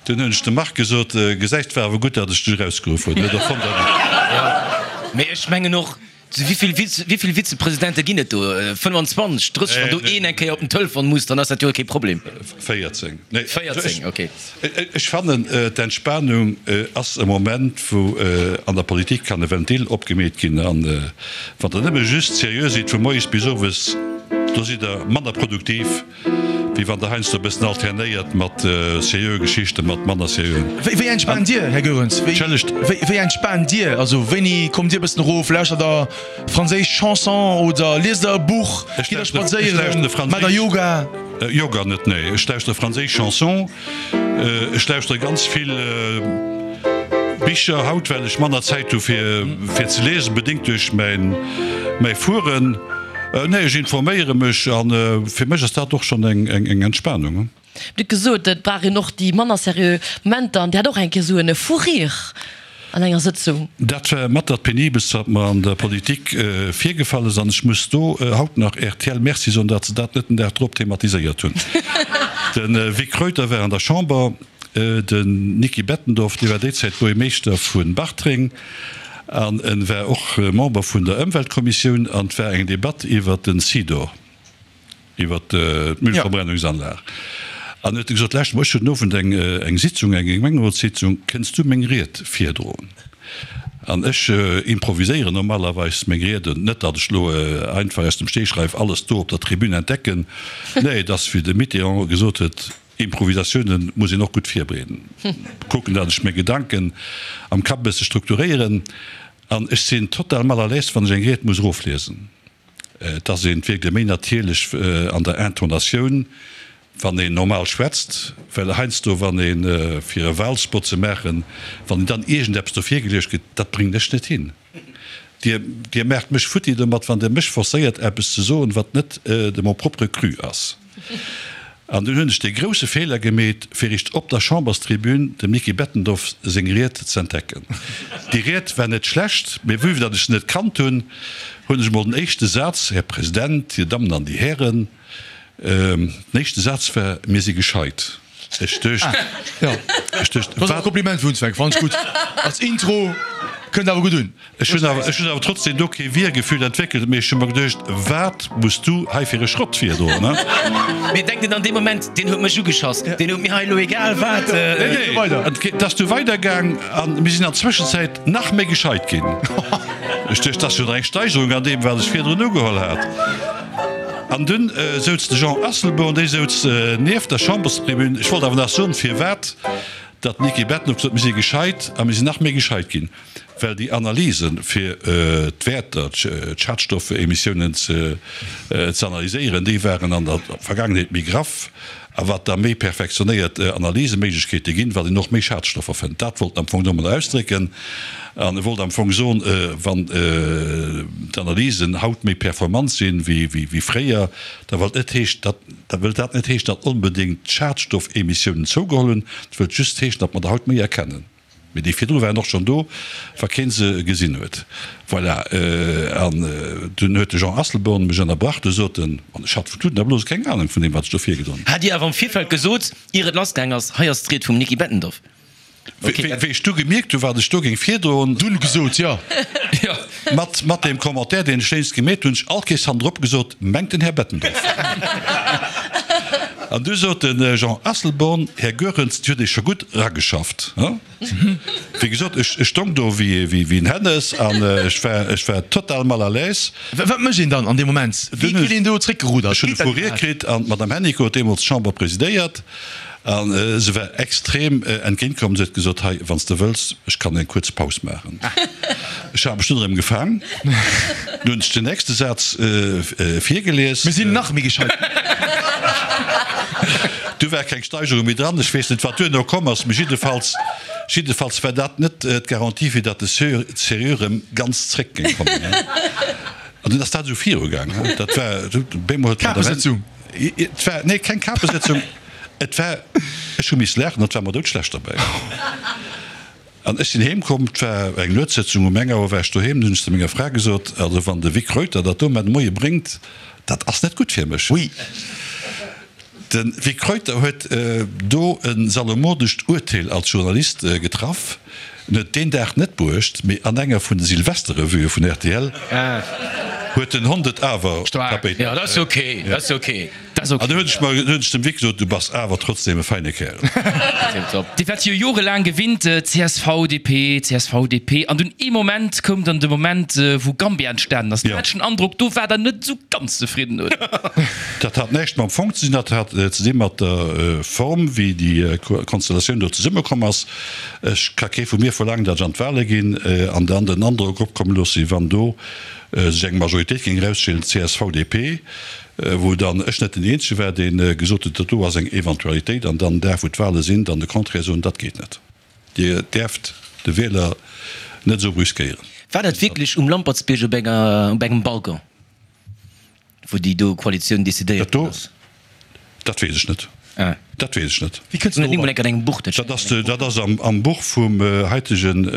dunn hunn ech dem Marc gesot, Gesäis, 't war awer gutt, datt ech dech erausgeruff hunn. Huet och fonnt, datt. Mee ech mengen och, Wéi vill Vizepresidente ginn et do? 25, 30? Wann do een eng Kéier op den Telefon muss, dann ass dat jo kee Problem. 14. Nee, 14, okay. Ech fannen, d'Entspanung ass e Moment, wou an der Politik kann e Ventil opgemeet ginn. An wann Der nëmme just seriö sidd vu moies bis owes, do sidd Der manner produktiv. Wéi wann der heiansdo e bëssen alternéiert mat seriöe Geschichten, mat manner seriöen. Wéi entspaant Dir, Här Goerens? Entschëllegt? Wéi entspaant Dir? Also wéini kommt Dir e bëssen erof? Lauschtert Der franséisch Chanson oder liest Der e Buch? Ech Gitt Der lauschteren, ech spadséieren? lauschteren Maacht Der franséisch. Yoga? Yoga net, nee. Ech lauschtere franséisch Chanson. Ech lauschtere ganz vill Bicher haut, well ech manner Zäit hu fir fir ze liesen, bedéngt duerch mäin mäi Fueren. Nee, ech informéiere mech a fir mech ass dat och schonn eng Entspanung. Dir hutt gesot, et brauch een och déi manner seriö Momenter an Dir hat och eng Kéier esou e Fou rire an enger Sëtzung. Dat war mat dat penibelst, wat mer an der Politik virgefall ass an ech muss do haut nach rtl Merci soen, datt se dat net den Dag drop thematiséiert hunn. De Vic Reuter war an der Chamber, den Niki Bettendorf, dee war déi Zäit Buergermeeschter vu Bartreng, An en war och Member vun der Ëmweltkommissioun an et war eng Debatt iwwert den Sidor, iwwert d'Müllverbrennungsanlag. An huet e gesot, Lauschter mol, ech hunn den Owend eng, eng Sitzung, eng Gemengerotssitzung, kënns du meng Ried virdroen? An ech improviséieren normalerweis meng Rieden, net datt ech elo einfach aus dem Stegreif alles do op der Tribün entdecken, nee, et ass wéi de Mitterrand gesot huet, Improvisatiounen muss een och gutt virbereeden, kucken, datt ech meng Gedanken am Kapp e bësse strukturéieren. An ech sinn total mal à l'aise, wann ech eng Ried muss erofliesen. Et ass een, et wierkt ee méi natierlech an der Intonatioun, wann een normal schwätzt, well heiansdo, wann ee fir e Wahlspot ze maachen, wann een dann iergendeppes do virgeluecht kritt, dat bréngen ech net hin. Dir, Dir maacht mech futti domat, wann Der mech forcéiert, eppes ze soen, wat net de mon propre cru ass. An dunn hunn ech dee grousse Feeler gemeet, fir richt op der Chamberstribün dem Niki Bettendorf seng Ried z'entdecken. Déi Ried war net schlecht, mee vue datt ech se net kannt hunn, hunn ech emol den éischte Saz, Här President, Dir Dammen an Dir Hären, den éischte Saz war, Mir si gescheit. Ech duecht, ech duecht, Dat ass e Kompliment fir Hunsweck, fannen ech gutt. Als Intro kënnt awer gutt un. Ech hunn awer, ech hunn awer trotzdem do kee Wiergefühl entwéckelt, mee ech hu mer geduecht, wat muss du hei fir e Schrott virdoen, ne? Mee denkt een an deem Moment, deen huet mech ugeschoss, deen huet mir hei elo egal wat. Nee, nee, et ass du weidergaang an mir sinn an Zwëschenzäit nach méi gescheit ginn. Ech duecht, dat ass jo nach eng Steigerung an deem, wat ech virdrun ugeholl hat. An dunn souz de Jean Asselborn, dee souz nieft der Chamberstribün. Ech wollt awer nach soen, firwat datt d'Niki Bettendorf gesot huet, mir si gescheit a mir sinn nach méi gescheit ginn, well déi Analysen, fir d'Wäerter, d'Schadstoffemissiounen ze analyséieren, déi waren an der Vergaangenheet méi graff. A wat da méi perfektionéiert Analyseméiglechkeete ginn, wat een och méi Schadstoffer fënnt. Dat wollt en am Fong domadder ausdrécken. An e wollt am Fong soen, wann d'Analysen haut méi performant sinn wéi fréier, da wëllt net heeschen, datt, da wëllt dat net heeschen, datt onbedéngt d'Schadstoffemissiounen zougeholl hunn. Et wëllt just heeschen, datt mer der haut méi erkennen. Mee déi virdru waren och schonn do, wa keen se gesinn huet. Voilà. An dunn huet de Jean Asselborn mech ënnerbrach. Du sot en, an ech hat vu Tuten a Blose keng Anung vun deem, wat ech do virgedroen hunn. Hat Dir awer am Virfeld gesot, ier et lassgaang ass, hei ass d'Ried vum Niki Bettendorf? Wéi ech du gemierkt hunn, wat ech do géing virdroen. Dunn gesot, jo. Mat, mat deem Commentaire, deen ech lénks gemeet hunn, hunn ech all Kees hannendrop gesot, mengt den Här Bettendorf. An du sot de Jean Asselborn, Här Goerens, Dir hutt Iech scho gutt erageschafft. Wéi gesot, ech stong do wéi en Hännes an ech war, ech war total mal à l'aise. Wat mécht een dann an deem Moment? Wéi kritt een do zréckgeruddert? Ech hunn e Fou rire kritt an d'Madame Hennicot huet deemools d'Chamber presidéiert. A se war extrem entgéintkomm. Se huet gesot, Hei, wann s de wëlls, ech kann eng kuerz Paus maachen. Ech hat mech dunn erëm gefaang. Dunn hunn ech den nächste Saz virgelies. Mir sinn nach méi gescheit. Du war keng Steigerung méi dran. Ech weess net, wat duerno komm ass, mee jiddefalls, jiddefalls war dat net d'Garantie, fir datt de Sérieux erëm ganz zréck géing kommen. An dunn ass dat esou virugaang. Dat war, bemol huet d'Madame. Kapesëtzung. Et war, nee, keng Kapesëtzung. Et war, ech hu miss laachen, et war mer doudschlecht derbäi. An ech sinn heem komm, et war eng Nuetssëtzung, um eng Auer war ech doheem, dunn hunn ech zu menger Fra gesot, also wann de Vic Reuter dat do mar de Moie bréngt, dat ass net gutt fir mech. Ui. De Vic Reuter huet do e salomodescht Urteel als Journalist getraff. En huet deen Dag net bruecht, mee an enger vun de Silvesterrevuë vun rtl huet den Hond et awer tapéit. Jo, dat ass ok, dat ass ok. An du hunn ech mer, hunn ech dem Vic gesot, du bass awer trotzdem e feine Kärel. Dir waart jo jorelaang gewinnt, csv, DP, csv, DP, an dunn ee Moment koum dann de Moment, wou Gambia entstanen ass. Do hat ech den Androck, do waart Der net esou ganz zefridden, oder? Dat hat näischt mam Fong ze dinn, dat hat ze di mat der Form, wéi déi Konstellatioun do zesummekomm ass. Ech ka kee vu mir verlaangen, datt ech an d'Wahle ginn an dann den Androck opkomme loosse, wann do sech eng Majoritéit géing erausstellen, csv, DP, wou dann ech net den Eenzege war, dee gesot huet, dat do ass eng Eventualitéit, an dann den Dag, wou d'Wahle sinn, dann de Contraire soen, dat geet net. Dir däerft de Wieler net esou brüskéieren. War dat wierklech um Lampertsbierg op enger, op engem Balcon? Wou déi do Koalitioun decidéiert ginn ass? Dat weess ech net. Dat weess ech net. Wéi kënns du dorobber? An engem Buch, dat ass, dat ass am Buch vum haitegen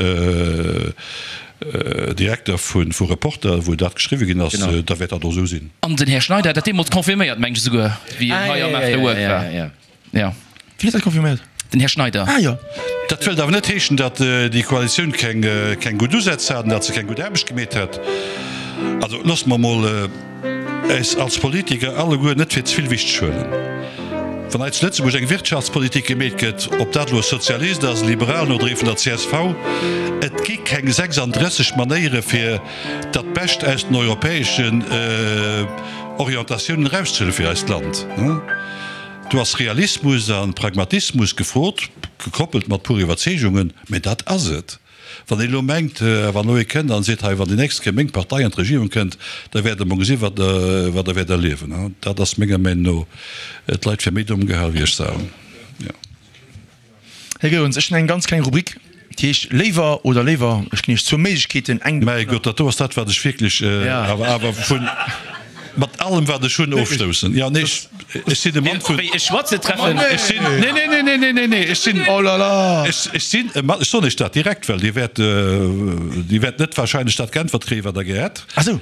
Direkter vu Reporter, wou dat geschriwwe ginn ass. Da wäert dat och esou sinn. An den Här Schneider hat dat deemools confirméiert, mengen ech esouguer, wéi en hei am After Work war. Ja. Wien huet dat confirméiert? Den Här Schneider. Ah jo. Dat wëllt awer net heeschen, datt déi Koalitioun keng, keng gutt Usätz hat an datt se keng gutt Aarbecht gemeet hätt. Also loosse mer emol äis als Politiker alleguer net fir ze vill wichteg huelen. Wann hei zu Lëtzebuerg eng Wirtschaftspolitik gemeet gëtt, ob dat elo e Sozialist ass, e Liberalen oder ee vun der csv, et gi keng 36 Manéiere fir dat Bescht aus den europäeschen Orientatiounen erauszehuele fir eist Land. Do ass Realismus a Pragmatismus gefrot, gekoppelt mat puer Iwwerzeegungen, mä dat ass et. Wann een elo mengt, wann elo ee kënnt an seet, hei, wann déi nächst Kéier meng Partei an d'Regierung kënnt, da wäert Der mol gesinn, wat Der, wat Der wäert erliewen. Dat ass menger Meinung no d'Leit fir méi domm gehal wéi ech selwer. Jo. Här Goerens, ech hunn eng ganz kleng Rubrik, déi heescht Léiwer oder léiwer. Ech ginn Iech zwou Méiglechkeeten, eng. Mäi Gott, dat do ass dat, wat ech wierklech awer, awer vun. Mat allem wat ech hunn ofstoussen. Jo, nee, ech sinn e Mann vun. Wéi e Schwarze treffen. Ech sinn, nee, nee, nee, nee, nee, nee, nee, ech sinn. Oh là là! Ech, ech sinn e Mann, ech soen Iech dat direkt, well Dir wäert, Dir wäert net wahrscheinlech dat geäntwert kréien, wat Der gär hätt. Ach sou.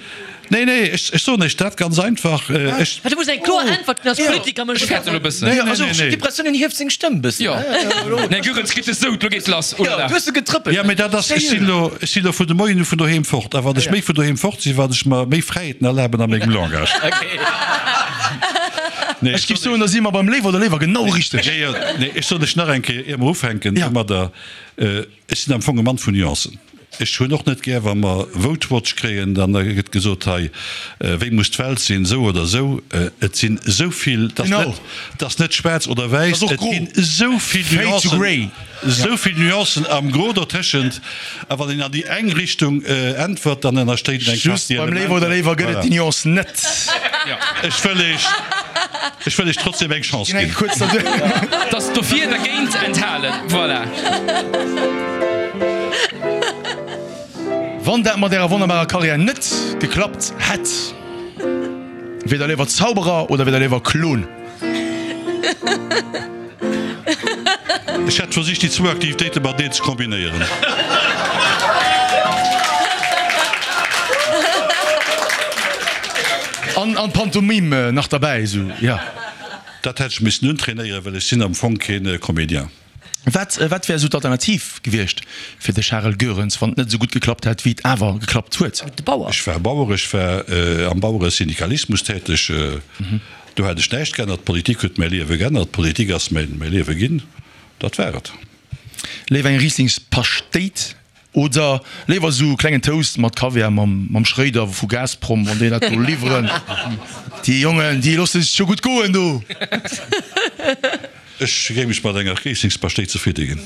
Nee, nee, ech, ech soen Iech dat ganz einfach, ech. Du muss eng kloer Äntwert ginn als Politiker, Ech fäerten elo e bëssen. Nee, nee, nee, nee. D'Depressioun hieft seng Stëmm e bëssen. Jo. Nee, Goerens kritt es sou, lo geet lass, oh là là. Du hues se getrëppelt. Jo, mee dat ass, ech sinn elo, ech sinn elo vun de Moien u vun doheem fort. A wat ech méi vun doheem fort sinn, wat ech mer méi Fräiheeten erlaben a mengem Langage. Nee, ech géif soen, da si mer beim Léiwer oder Léiwer genau richteg. Jo, jo, nee, ech soen lech nach eng Kéier, ier mer ufänken domadder, Ech sinn am Fong e Mann vun Nuancen. Ech hunn och net gär, wa mer Vote Watch kréien, dann gëtt gesot, hei, wéi muss d'Welt sinn, esou oder esou. Et sinn esou vill, et ass net, et ass net schwaarz oder wäiss, et ginn esou vill Nuancen, esou vill Nuancen am Gro dotëschent. A wann een an déi eng Richtung äntwert, dann ënnerstéit een eng Just Partie beim Léiwer oder Elementer. Léiwer gëtt et Voilà. déi Nuance net. Ech wëll Iech, ech wëll Iech trotzdem eng Chance Ginn eng ginn. kuerz derduerch. Dass dofir, dergéint, enthalen. Voilà. Wann dat mat Ärer wonnerbarer Karriär net geklappt hätt, wier Der léiwer Zauberer oder wier Der léiwer Klon? Ech hätt versicht déi zwou Aktivitéite mateneen ze kombinéieren. An an Pantomime nach derbäi esou, jo. Dat hätt ech missen untrainéieren, well ech sinn am Fong kee Comédien. Wat wat wär esou d'Alternativ gewiescht fir de Charel Goerens, wann et net esou gutt geklappt hätt, wéi et awer geklappt huet? De Bauer. Ech war Bauer, ech war am Baueresyndikalismus täteg. Do hat ech näischt geännert. D'Politik huet mäi Liewe geännert. D'Politik ass mäi Liewe ginn. Dat war et. Léiwer eng Rieslingspaschtéit oder léiwer esou klengen Toast mat Kaviar mam Schröder vu Gazprom, wann déi dat do liwweren? Déi Jongen, déi loosse sech jo gutt goen do. Ech géing mech mat enger Rieslingspaschtéit zefridde ginn.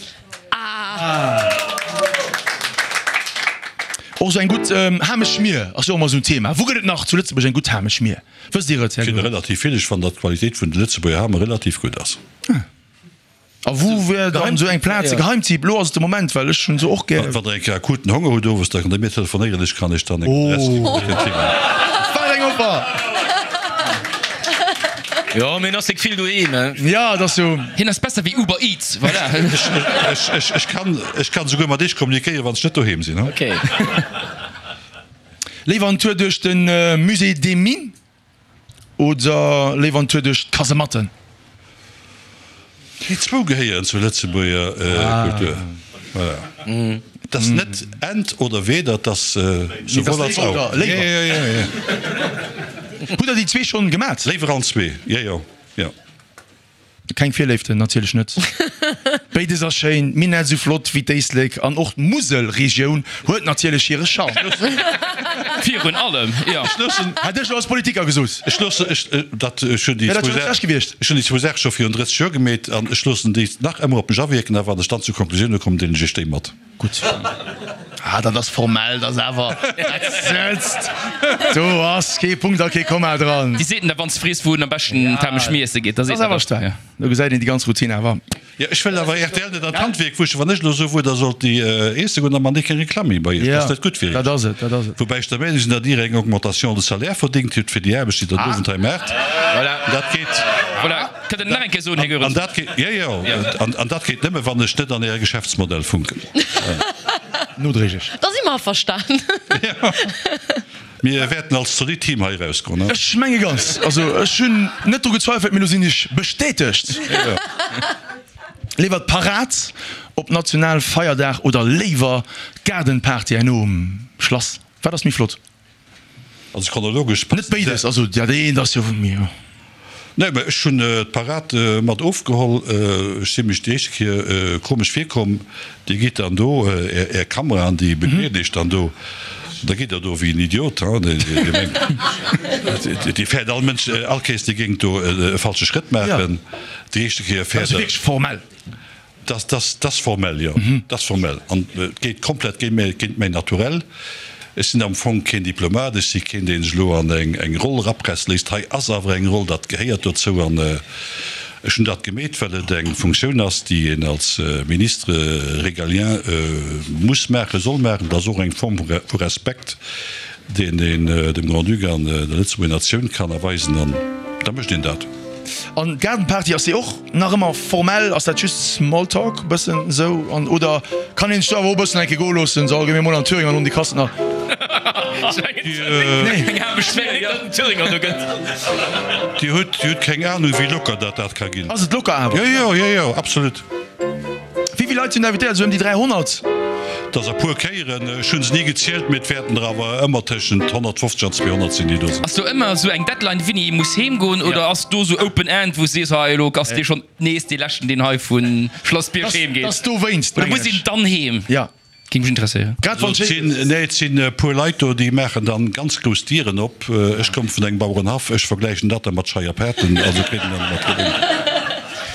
Och esou eng gutt Hameschmier ass jo och ëmmer esou en Thema. Wou gëtt et nach zu Lëtzebuerg eng gutt Hameschmier? Wësst Dir et, Här Ech finde Goerens? relativ vill. Ech fannen, datt d'Qualitéit vun de Lëtzebuerger Hame relativ gutt ass. A wou wär dann esou eng Plaz, e Geheimtipp? Elo ass et de Moment, well ech hunn se och gär. Wann Der eng Kéier akuten Honger hutt owes, da kënnt Der mir telefonéieren, ech kann Iech dann eng Adress ginn, wou Der kënnt higoen. Wat eng Offer! Jo, mee en ass déck vill doheem, he? Ja, et ass jo. Hien ass besser wéi Uber Eats, voilà. Ech kann, ech kann esouguer mat Iech kommunikéieren, wann ech net doheem sinn, he? Okay. Léiwer en Tour duerch de Musée des Mines oder léiwer en Tour duerch d'Kasematten? Déi zwou gehéieren zur Lëtzebuerger Kultur. Voilà. Et ass net ent oder weder, et ass souwuel als auch. Hutt der déi zwee schonn gemat? Léiwer allen zwee, jo, jo, jo. Keng Virléiften, natierlech net. Béides ass schéin, d'Minett esou flott wéi d'Éislek an och d'Muselregioun huet natierlech hire Charme. Virun allem, jo. Ech loossen. Hätt ech lo als Politiker gesot. Ech loossen, ech, dat, ech hunn déi Wär dat zwou scho net schlecht gewiescht? Ech hunn déi zwou Saache scho virun 30 Joer gemeet an ech loossen déi nach ëmmer op mech awierken a wann ech dann zu Konklusioune kommen, deelen ech iech déi mat. Gutt. Ah, dat ass formell, dat ass awer, dat sëtzt. Do ass kee Punkt a kee Komma dran. Déi seet en da wann s de frees wou en am beschten d'Hamesch miesse geet, da Dat seet ass en awer dat. staark. Do gesäit een déi ganz Routine awer. Jo, ech wëll awer rtl net an d'Handwierk wuschen. Wann ech elo soe wuer der sollt déi iesse goen, da man déi keng Reklamm méi bei iech. Dat ass net gutt fir Dat iech. ass et, dat ass et. Woubäi ech der Meenung sinn, datt Dir eng Augmentation de salaire verdingt hutt fir déi Aarbecht, déi Der den Owend hei maacht. Voilà. Dat geet. Voilà. Kënnt Der nach eng Kéier soen, Här Goerens? An dat geet, jo, jo, an dat geet nëmme, wann ech net an Äre Geschäftsmodell funken. Nodréiglech. Da si mer averstan. Jo. Mir wäerten als zolidd Team hei erausgoen, ne? Ech menge ganz. Also ech hunn net dru gezweifelt, mee lo sinn ech bestätegt. Léiwer d'Parad op Nationalfeierdag oder léiwer d'Gaardenparty herno um Schlass? Wat ass méi flott? Also chronologesch Net béides, also dat eent ass jo méi. Nee, mä ech hunn d'Parad mat ofgeholl. Ech si mech déi éischte Kéier komesch virkomm. Dir gitt dann do, Är Kameraen, déi begleeden Iech dann do, da gitt Der do wéi en Idiot, hein. Dir mengt, Dir fäert all Mënsch, all Kéiers, Dir géingt do e falsche Schrëtt maachen. Déi éischte Kéier fäert Der. Dat ass wierklech formell. Dat ass formell, jo. Dat ass formell. An et geet komplett géint mäin Naturell. Ech sinn am Fong keen Diplomat, ech si keen, dee sech elo an eng Roll erapresse léisst. Hei ass awer eng Roll, dat gehéiert dozou. An ech hunn dat gemeet, well et eng Funktioun ass, déi een als Ministre régalien muss maachen, soll maachen. Dat ass och eng Form vu Respekt, deen een dem Grand-Duc an der Lëtzebuerger Natioun kann erweisen. An da mécht een dat. An d'Gaardenparty, ass déi och nach ëmmer formell? Ass dat just Smalltalk e bëssen esou an oder kann een sech do awer och e bëssen eng Kéier goe loossen, so gi mir mol an Thüringer an um déi Kassen a. Dir hutt keng Ahnung wéi locker dat dat ka ginn. Ass et locker awer? Jo jo jo jo absolut. Wéi vill Leit sinn da invitéiert? Esou ëm déi 300? Et ass e puer Kéieren, ech hunn se ni gezielt, mee et wäerten der awer ëmmer tëschent 150 an 200 sinn, déi do sinn. Ass do ëmmer esou eng Deadline, wéini ee muss heem goen, oder ass do esou open end, wou s de sees, hei elo ass dee schonn nees dee leschten, deen hei vu Schlass Bierg heem geet? Dass dowéinst, Oder mengen muss ech. een dann heem? Jo. Géing mech interesséieren. Grad wann Et sinn, nee, et sinn e puer Leit do, déi maachen dann ganz grouss Dieren op. Ech komme vun engem Bauerenhaff, ech vergläichen dat da mat Scheierpaarten, also kritt een dann ëmmer Problemer.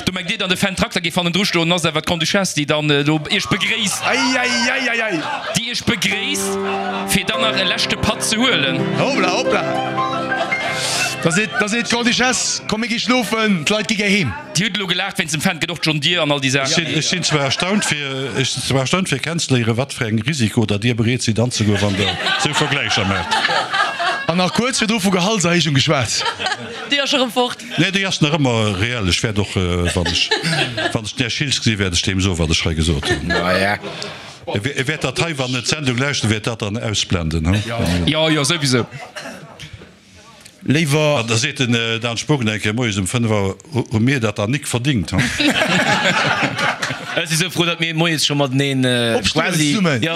Do mengt Dir dann, de Fendt Trakter géif hannendru stoen, ass awer d'Grande-Duchesse, déi dann do Iech begréisst, Eieieiei! déi Iech begréisst, fir dann nach e leschte Patt ze huelen. Hopla, hopla! Da seet, da seet d'Grande-Duchesse, Komm mir gi schlofen, d'Leit gi gär heem. Dir hutt elo gelaacht wéinst dem Fendt, gëtt och John Deere an all déi Saachen. Ech sinn zwar erstaunt fir, ech sinn zwar erstaunt fir kennenzeléieren, wat fir eng Risiko datt Dir bereet sidd anzegoen, wann Der esou Vergläicher maacht. An nach kuerz virdru vu Gehaltserhéijung geschwat. Déi ass scho rëm fort. Nee, déi ass nach ëmmer reell. Ech wäert och, wann ech, wann ech den Här Schiltz gesinn, wäert ech deem soen, wat ech hei gesot hunn. E wäert dat hei, wann en d'Sendung lauschtert, wäert dat dann ausblenden, hu? Jo, jo, souwisou. Léiwer. An da seet den Dan Spogen eng Kéier moies um 5 Auer, Hu mir dat dann nik verdingt, hu? Ech si sou frou, datt mir moies scho mateneen quasi, jo,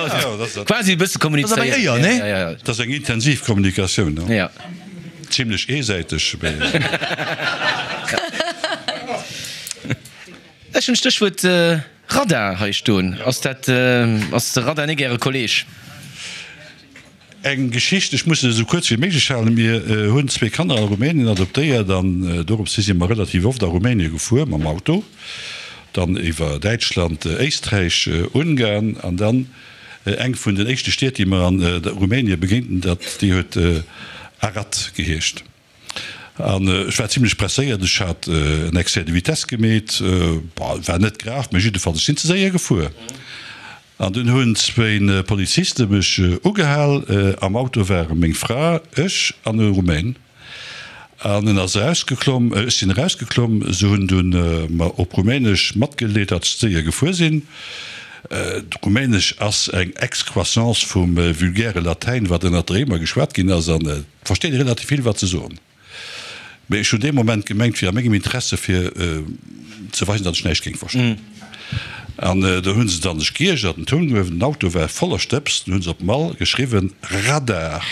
quasi e bësse kommunizéieren. Dat ass awer eng Éier, nee? Dat ass eng intensiv Kommunikatioun, hu? Jo. Zimlech eesäiteg, mee. Ech hunn d'Stéchwuert Radar hei stoen. Ass dat, ass de Radar nik Äre Kolleeg? Eng Geschicht, ech muss se esou kuerz wéi méiglech halen, Mir hunn zwee Kanner a Rumänien adoptéiert an dorops hi si mer relativ oft a Rumänie gefuer mam Auto, dann iwwer Däitschland, Éisträich, Ungarn an dann eng vun den éischte Stied, déi mer an Rumänie begéinten, dat déi huet Arad geheescht. An ech war zimlech presséiert, ech hat en Excès de vitesse gemeet, bon, war net grav, mä jiddefalls, ech sinn ze séier gefuer. An dunn hunn zwéin Poliziste mech ugehal. Am Auto ware meng Fra, ech an e Rumän. An en ass erausgeklomm, ech sinn erausgeklomm. Se hunn dunn mer op Rumänesch matgedeelt, datt ech ze séier gefuer sinn. Rumänesch ass eng Excroissance vum vulgäre Latäin, wat ënnert de Réimer geschwat ginn ass. An et versteet ee relativ vill, wat se soen. Mee ech hunn dee Moment gemengt, wier a mengem Interesse fir ze weisen, datt ech näischt géing verstoen. An do hu se dann sech geiergert, den Toun gehuewen, den Auto war voller Stëbs, dunn hu se op Mall geschriwwen, Radar.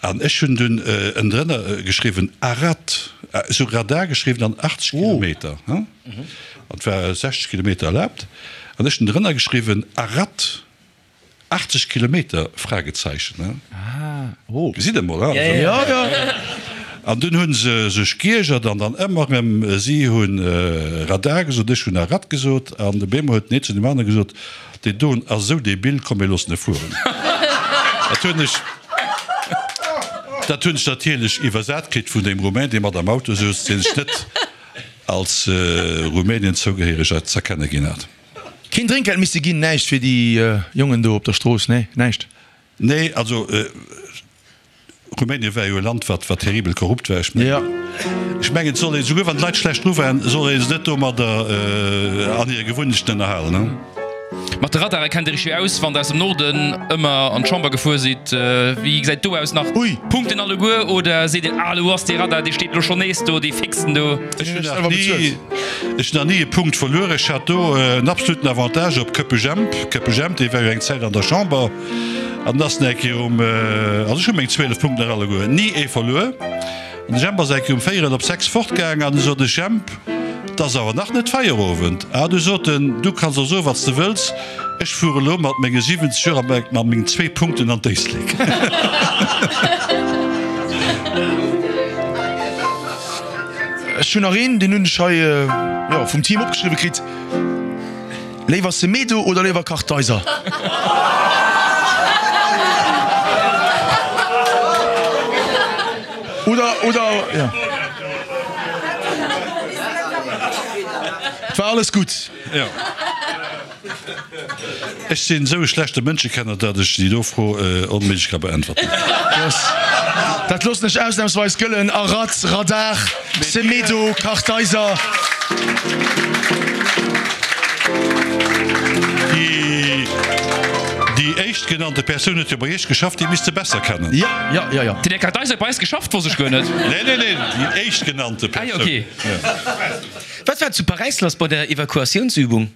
An ech hunn dunn ënnendrënner geschriwwen, Arad. Ech hu Radar geschriwwen an 80 Kilometer, an et war 60 Kilometer erlaabt, an ech hunn drënner geschriwwen, Arad. 80 Kilometer? Fragezeichen, he? Gesitt emol, he? An dunn hu se sech geiergert an dann ëmmer erëm, si hu Radar gesot, ech hunn Arad gesot an de Bemo huet den een zu deem anere gesot, deen doen ass esou debil, komm mir loossen e fueren. Dat hunn ech, dat hunn ech natierlech iwwersat kritt vun deem Rumäin, dee mat am Auto souz, dee sech net als Rumänien zougehéiereg z'erkenne ginn hat. Keen Drénkgeld misste ginn, näischt fir déi Jongen do op der Strooss, nee, näischt. Nee, also Rumänien war jo e Land, wat wat terribel korrupt war. Ech mengen, ech mengen, et soll een, souguer wann d'Leit schlecht dru waren, soll ee se net domadder an hire Gewunnechten ënnerhalen, ne? Mat de Radare kennt Dir Iech jo aus, wann Der aus dem Norden ëmmer an d'Chamber gefuer sidd. Wéi gesäit do aus? Nach Punkten alleguer oder seet Dir, ah, elo ass dee Radar, dee steet elo schonn nees do, dee fixen do? Ech hunn nach ni, ech hunn nach ni e Punkt verluer. Ech hat do en absoluten Avantage op Köppe Jemp. Köppe Jemp, dee war jo eng Zäit an der Chamber an ass nach eng Kéier um, also ech hu meng 12 Punkten nach alleguer, ni ee verluer. An de Jemp ass eng Kéier um véierel op 6 fortgaang an du sot ech, Jemp, 't ass awer nach net Feierowend. Ah, du sot en, du kanns och soe wat s de wëlls, ech fuere lo mat menge 70 Joer a mat mengen zwee Punkten an d'Éislek. Ech hunn nach een, deen hunn ech hei, jo, vum Team opgeschriwwe kritt. Léiwer Semedo oder léiwer Kartheiser? Oder, oder, ja. Et war alles gutt. Jo. Ech sinn esou e schlechte Mënschekenner, datt ech déi do Fro onméiglech ka beäntwerten. Dat loossen ech ausnamsweis gëllen. Arad, Radar, Semedo, Kartheiser. Déi éischtgenannte Persoun huet jo bei Iech geschafft, déi misst se besser kennen. Jo, jo, jo, jo. Den Här Kartheiser huet bei eis geschafft? Wosst ech guer net. Nee, nee, nee, déi éischtgenannte Ah jo, Persoun. ok. Wat war zu Paräis lass bei der Evakuatiounsübung?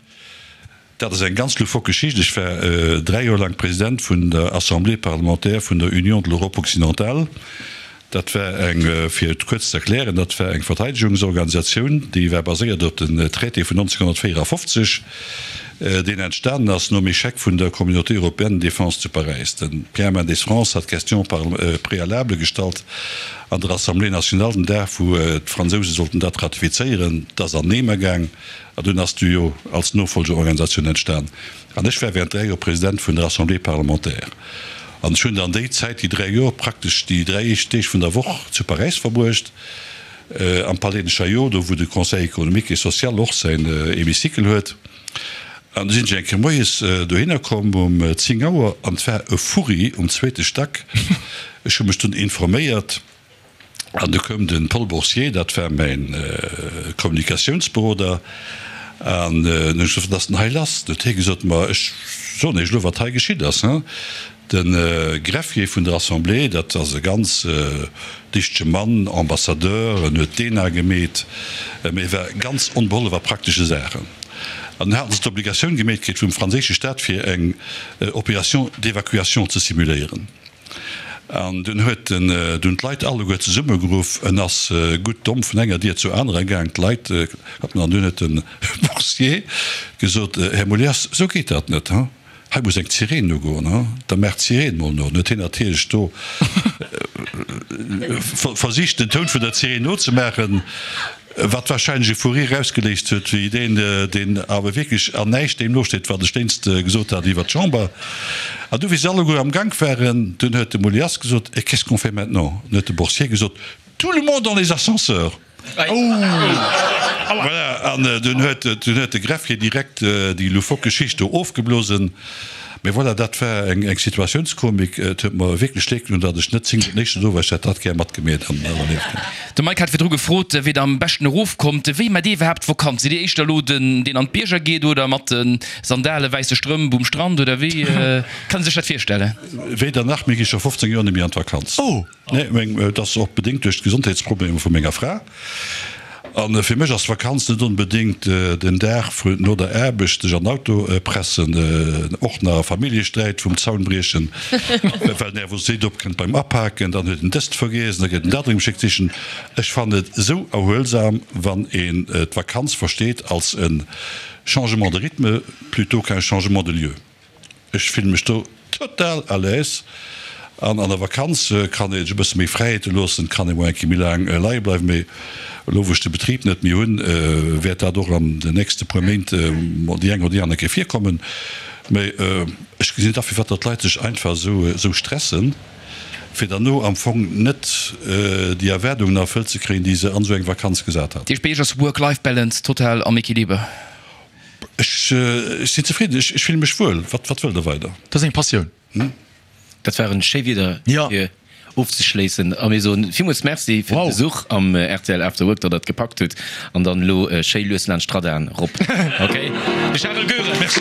Dat ass eng ganz loufoque Geschicht. Ech war dräi Joer laang President vun der Assemblée parlementaire vun der Union de l'Europe occidentale. Dat war eng, fir et kuerz ze erklären, dat war eng Verteidegungsorganisatioun, déi war baséiert op den Traité vun 1954, deen entstanen ass nom Échec vun der Communauté européenne de défense zu Paräis. De Pierre Mendès France hat d'Question préalable gestallt an der Assemblée nationale den Dag, wou d'Fransouse sollten dat ratifizéieren. Dat ass an Eemer gaang. An dunn ass d'UEO als Nofolgeorganisatioun entstan. An ech war während 3 Joer President vun der Assemblée parlementaire. An ech hunn dann déi Zäit, déi 3 Joer, praktesch déi 3 éischt Deeg vun der Woch zu Paräis verbruecht, am Palais de Chaillot, do wou de Conseil économique et social och säin Hémicycle huet. An du sinn ech eng Kéier moies dohinner komm um 10 Auer an et war e Furri um zweete Stack. Ech hu mech dunn informéiert. An du koum de Paul Boursier, dat war mäin Kommunikatiounsberoder, an hunn ech gesot, wat ass denn hei lass? Du huet hie gesot, ma ech soen Iech elo, wat hei geschitt ass. De Greffier vun der Assemblée, dat ass e ganz dichtege Mann, Ambassadeur, en huet d'ENA gemeet, mee e war ganz onbeholf a praktesche Saachen. An dunn haten se d'Obligatioun gemeet kritt vum franséische Staat, fir eng Opération d'évacuation ze simuléieren. An dunn huet en dunn d'Leit alleguer zesummegeruff. En ass gutt domm vun enger Dier zur anerer gaang, d'Leit klappen. An dunn huet de Boursier gesot, Här Molias, esou geet dat net, he? Hei muss eng Zireen ugoen, he? Da maacht d'Zireen mol no. Dann huet hien natierlech do versicht, den Toun vun der Zireen nozemaachen. Wat wahrscheinlech e Fou rire ausgeléist huet, wéi deen, deen awer wierklech an näischt deem nosteet, wat ech déinst gesot hat iwwert d'Chamber. An du, wéi se alleguer am Gank waren, dunn huet de Moulias gesot, Et qu'est-ce qu'on fait maintenant? Dunn huet de Boursier gesot, Tout le monde dans les ascenseurs! Voilà, an dunn huet, dunn huet de Greffier direkt déi loufoque Geschicht do ofgeblosen. Mee voilà, dat war eng Situatiounskomik. Et huet mer wierklech leed gedoen, datt ech net 10 den éischten do war. Ech hätt dat gär matgemeet an iwwerlieft. De Mike hat virdru gefrot, wéi der am beschten erofkommt. Wéi maacht Dir iwwerhaapt Vakanz? Sidd Dir éischter elo den, deen an d'Bierger geet oder mat de Sandale, wäisse Strëmp um Strand oder wéi kann ee sech dat virstellen? Weder nach, mir gi scho 15 Joer net méi an d'Vakanz. Nee, meng, et ass och bedéngt duerch d'Gesondheetsproblemer vu menger Fra. A fir mech ass Vakanz net onbedéngt den Dag vun no der Aarbecht sech an den Auto pressen, och nach e Familljesträit vum Zaun briechen, well Nervositéit opkënnt beim Apaken, dann huet en dëst vergiess, da gëtt en dat erëm geschéckt sichen. Ech fannen et esou erhuelsam, wann een d'Vakanz versteet als e Changement de rythme plutôt qu'un changement de lieu. Ech fillen mech do total à l'aise an an der Vakanz kann ee sech e bësse méi Fräiheete loossen, kann ee mol eng Kéier méi laang leie bleiwen. Mee elo wou ech de Betrib net méi hunn, wäert dat och an den nächste puer Méint mol déi eng oder déi aner Kéier virkommen. Mee ech gesinn net a firwat datt d'Leit sech einfach esou stressen, fir derno am Fong net déi Erwaardungen erfëllt ze kréien, déi se an esou eng Vakanz gesat haten. Dat heescht bei Iech ass Work-Life-Balance total am Equiliber? Ech sinn zefridden, ech fille mech wuel. Wat wëllt Der weider? Dat ass eng Passioun. Dat waren schéi Wieder fir ofzeschléissen a mir soen villmools Merci fir de Besuch am rtl After Work, datt Der et gepackt hutt an dann elo schéi lues laanscht d'Radaren rop. Ok, de Charel Goerens. Merci.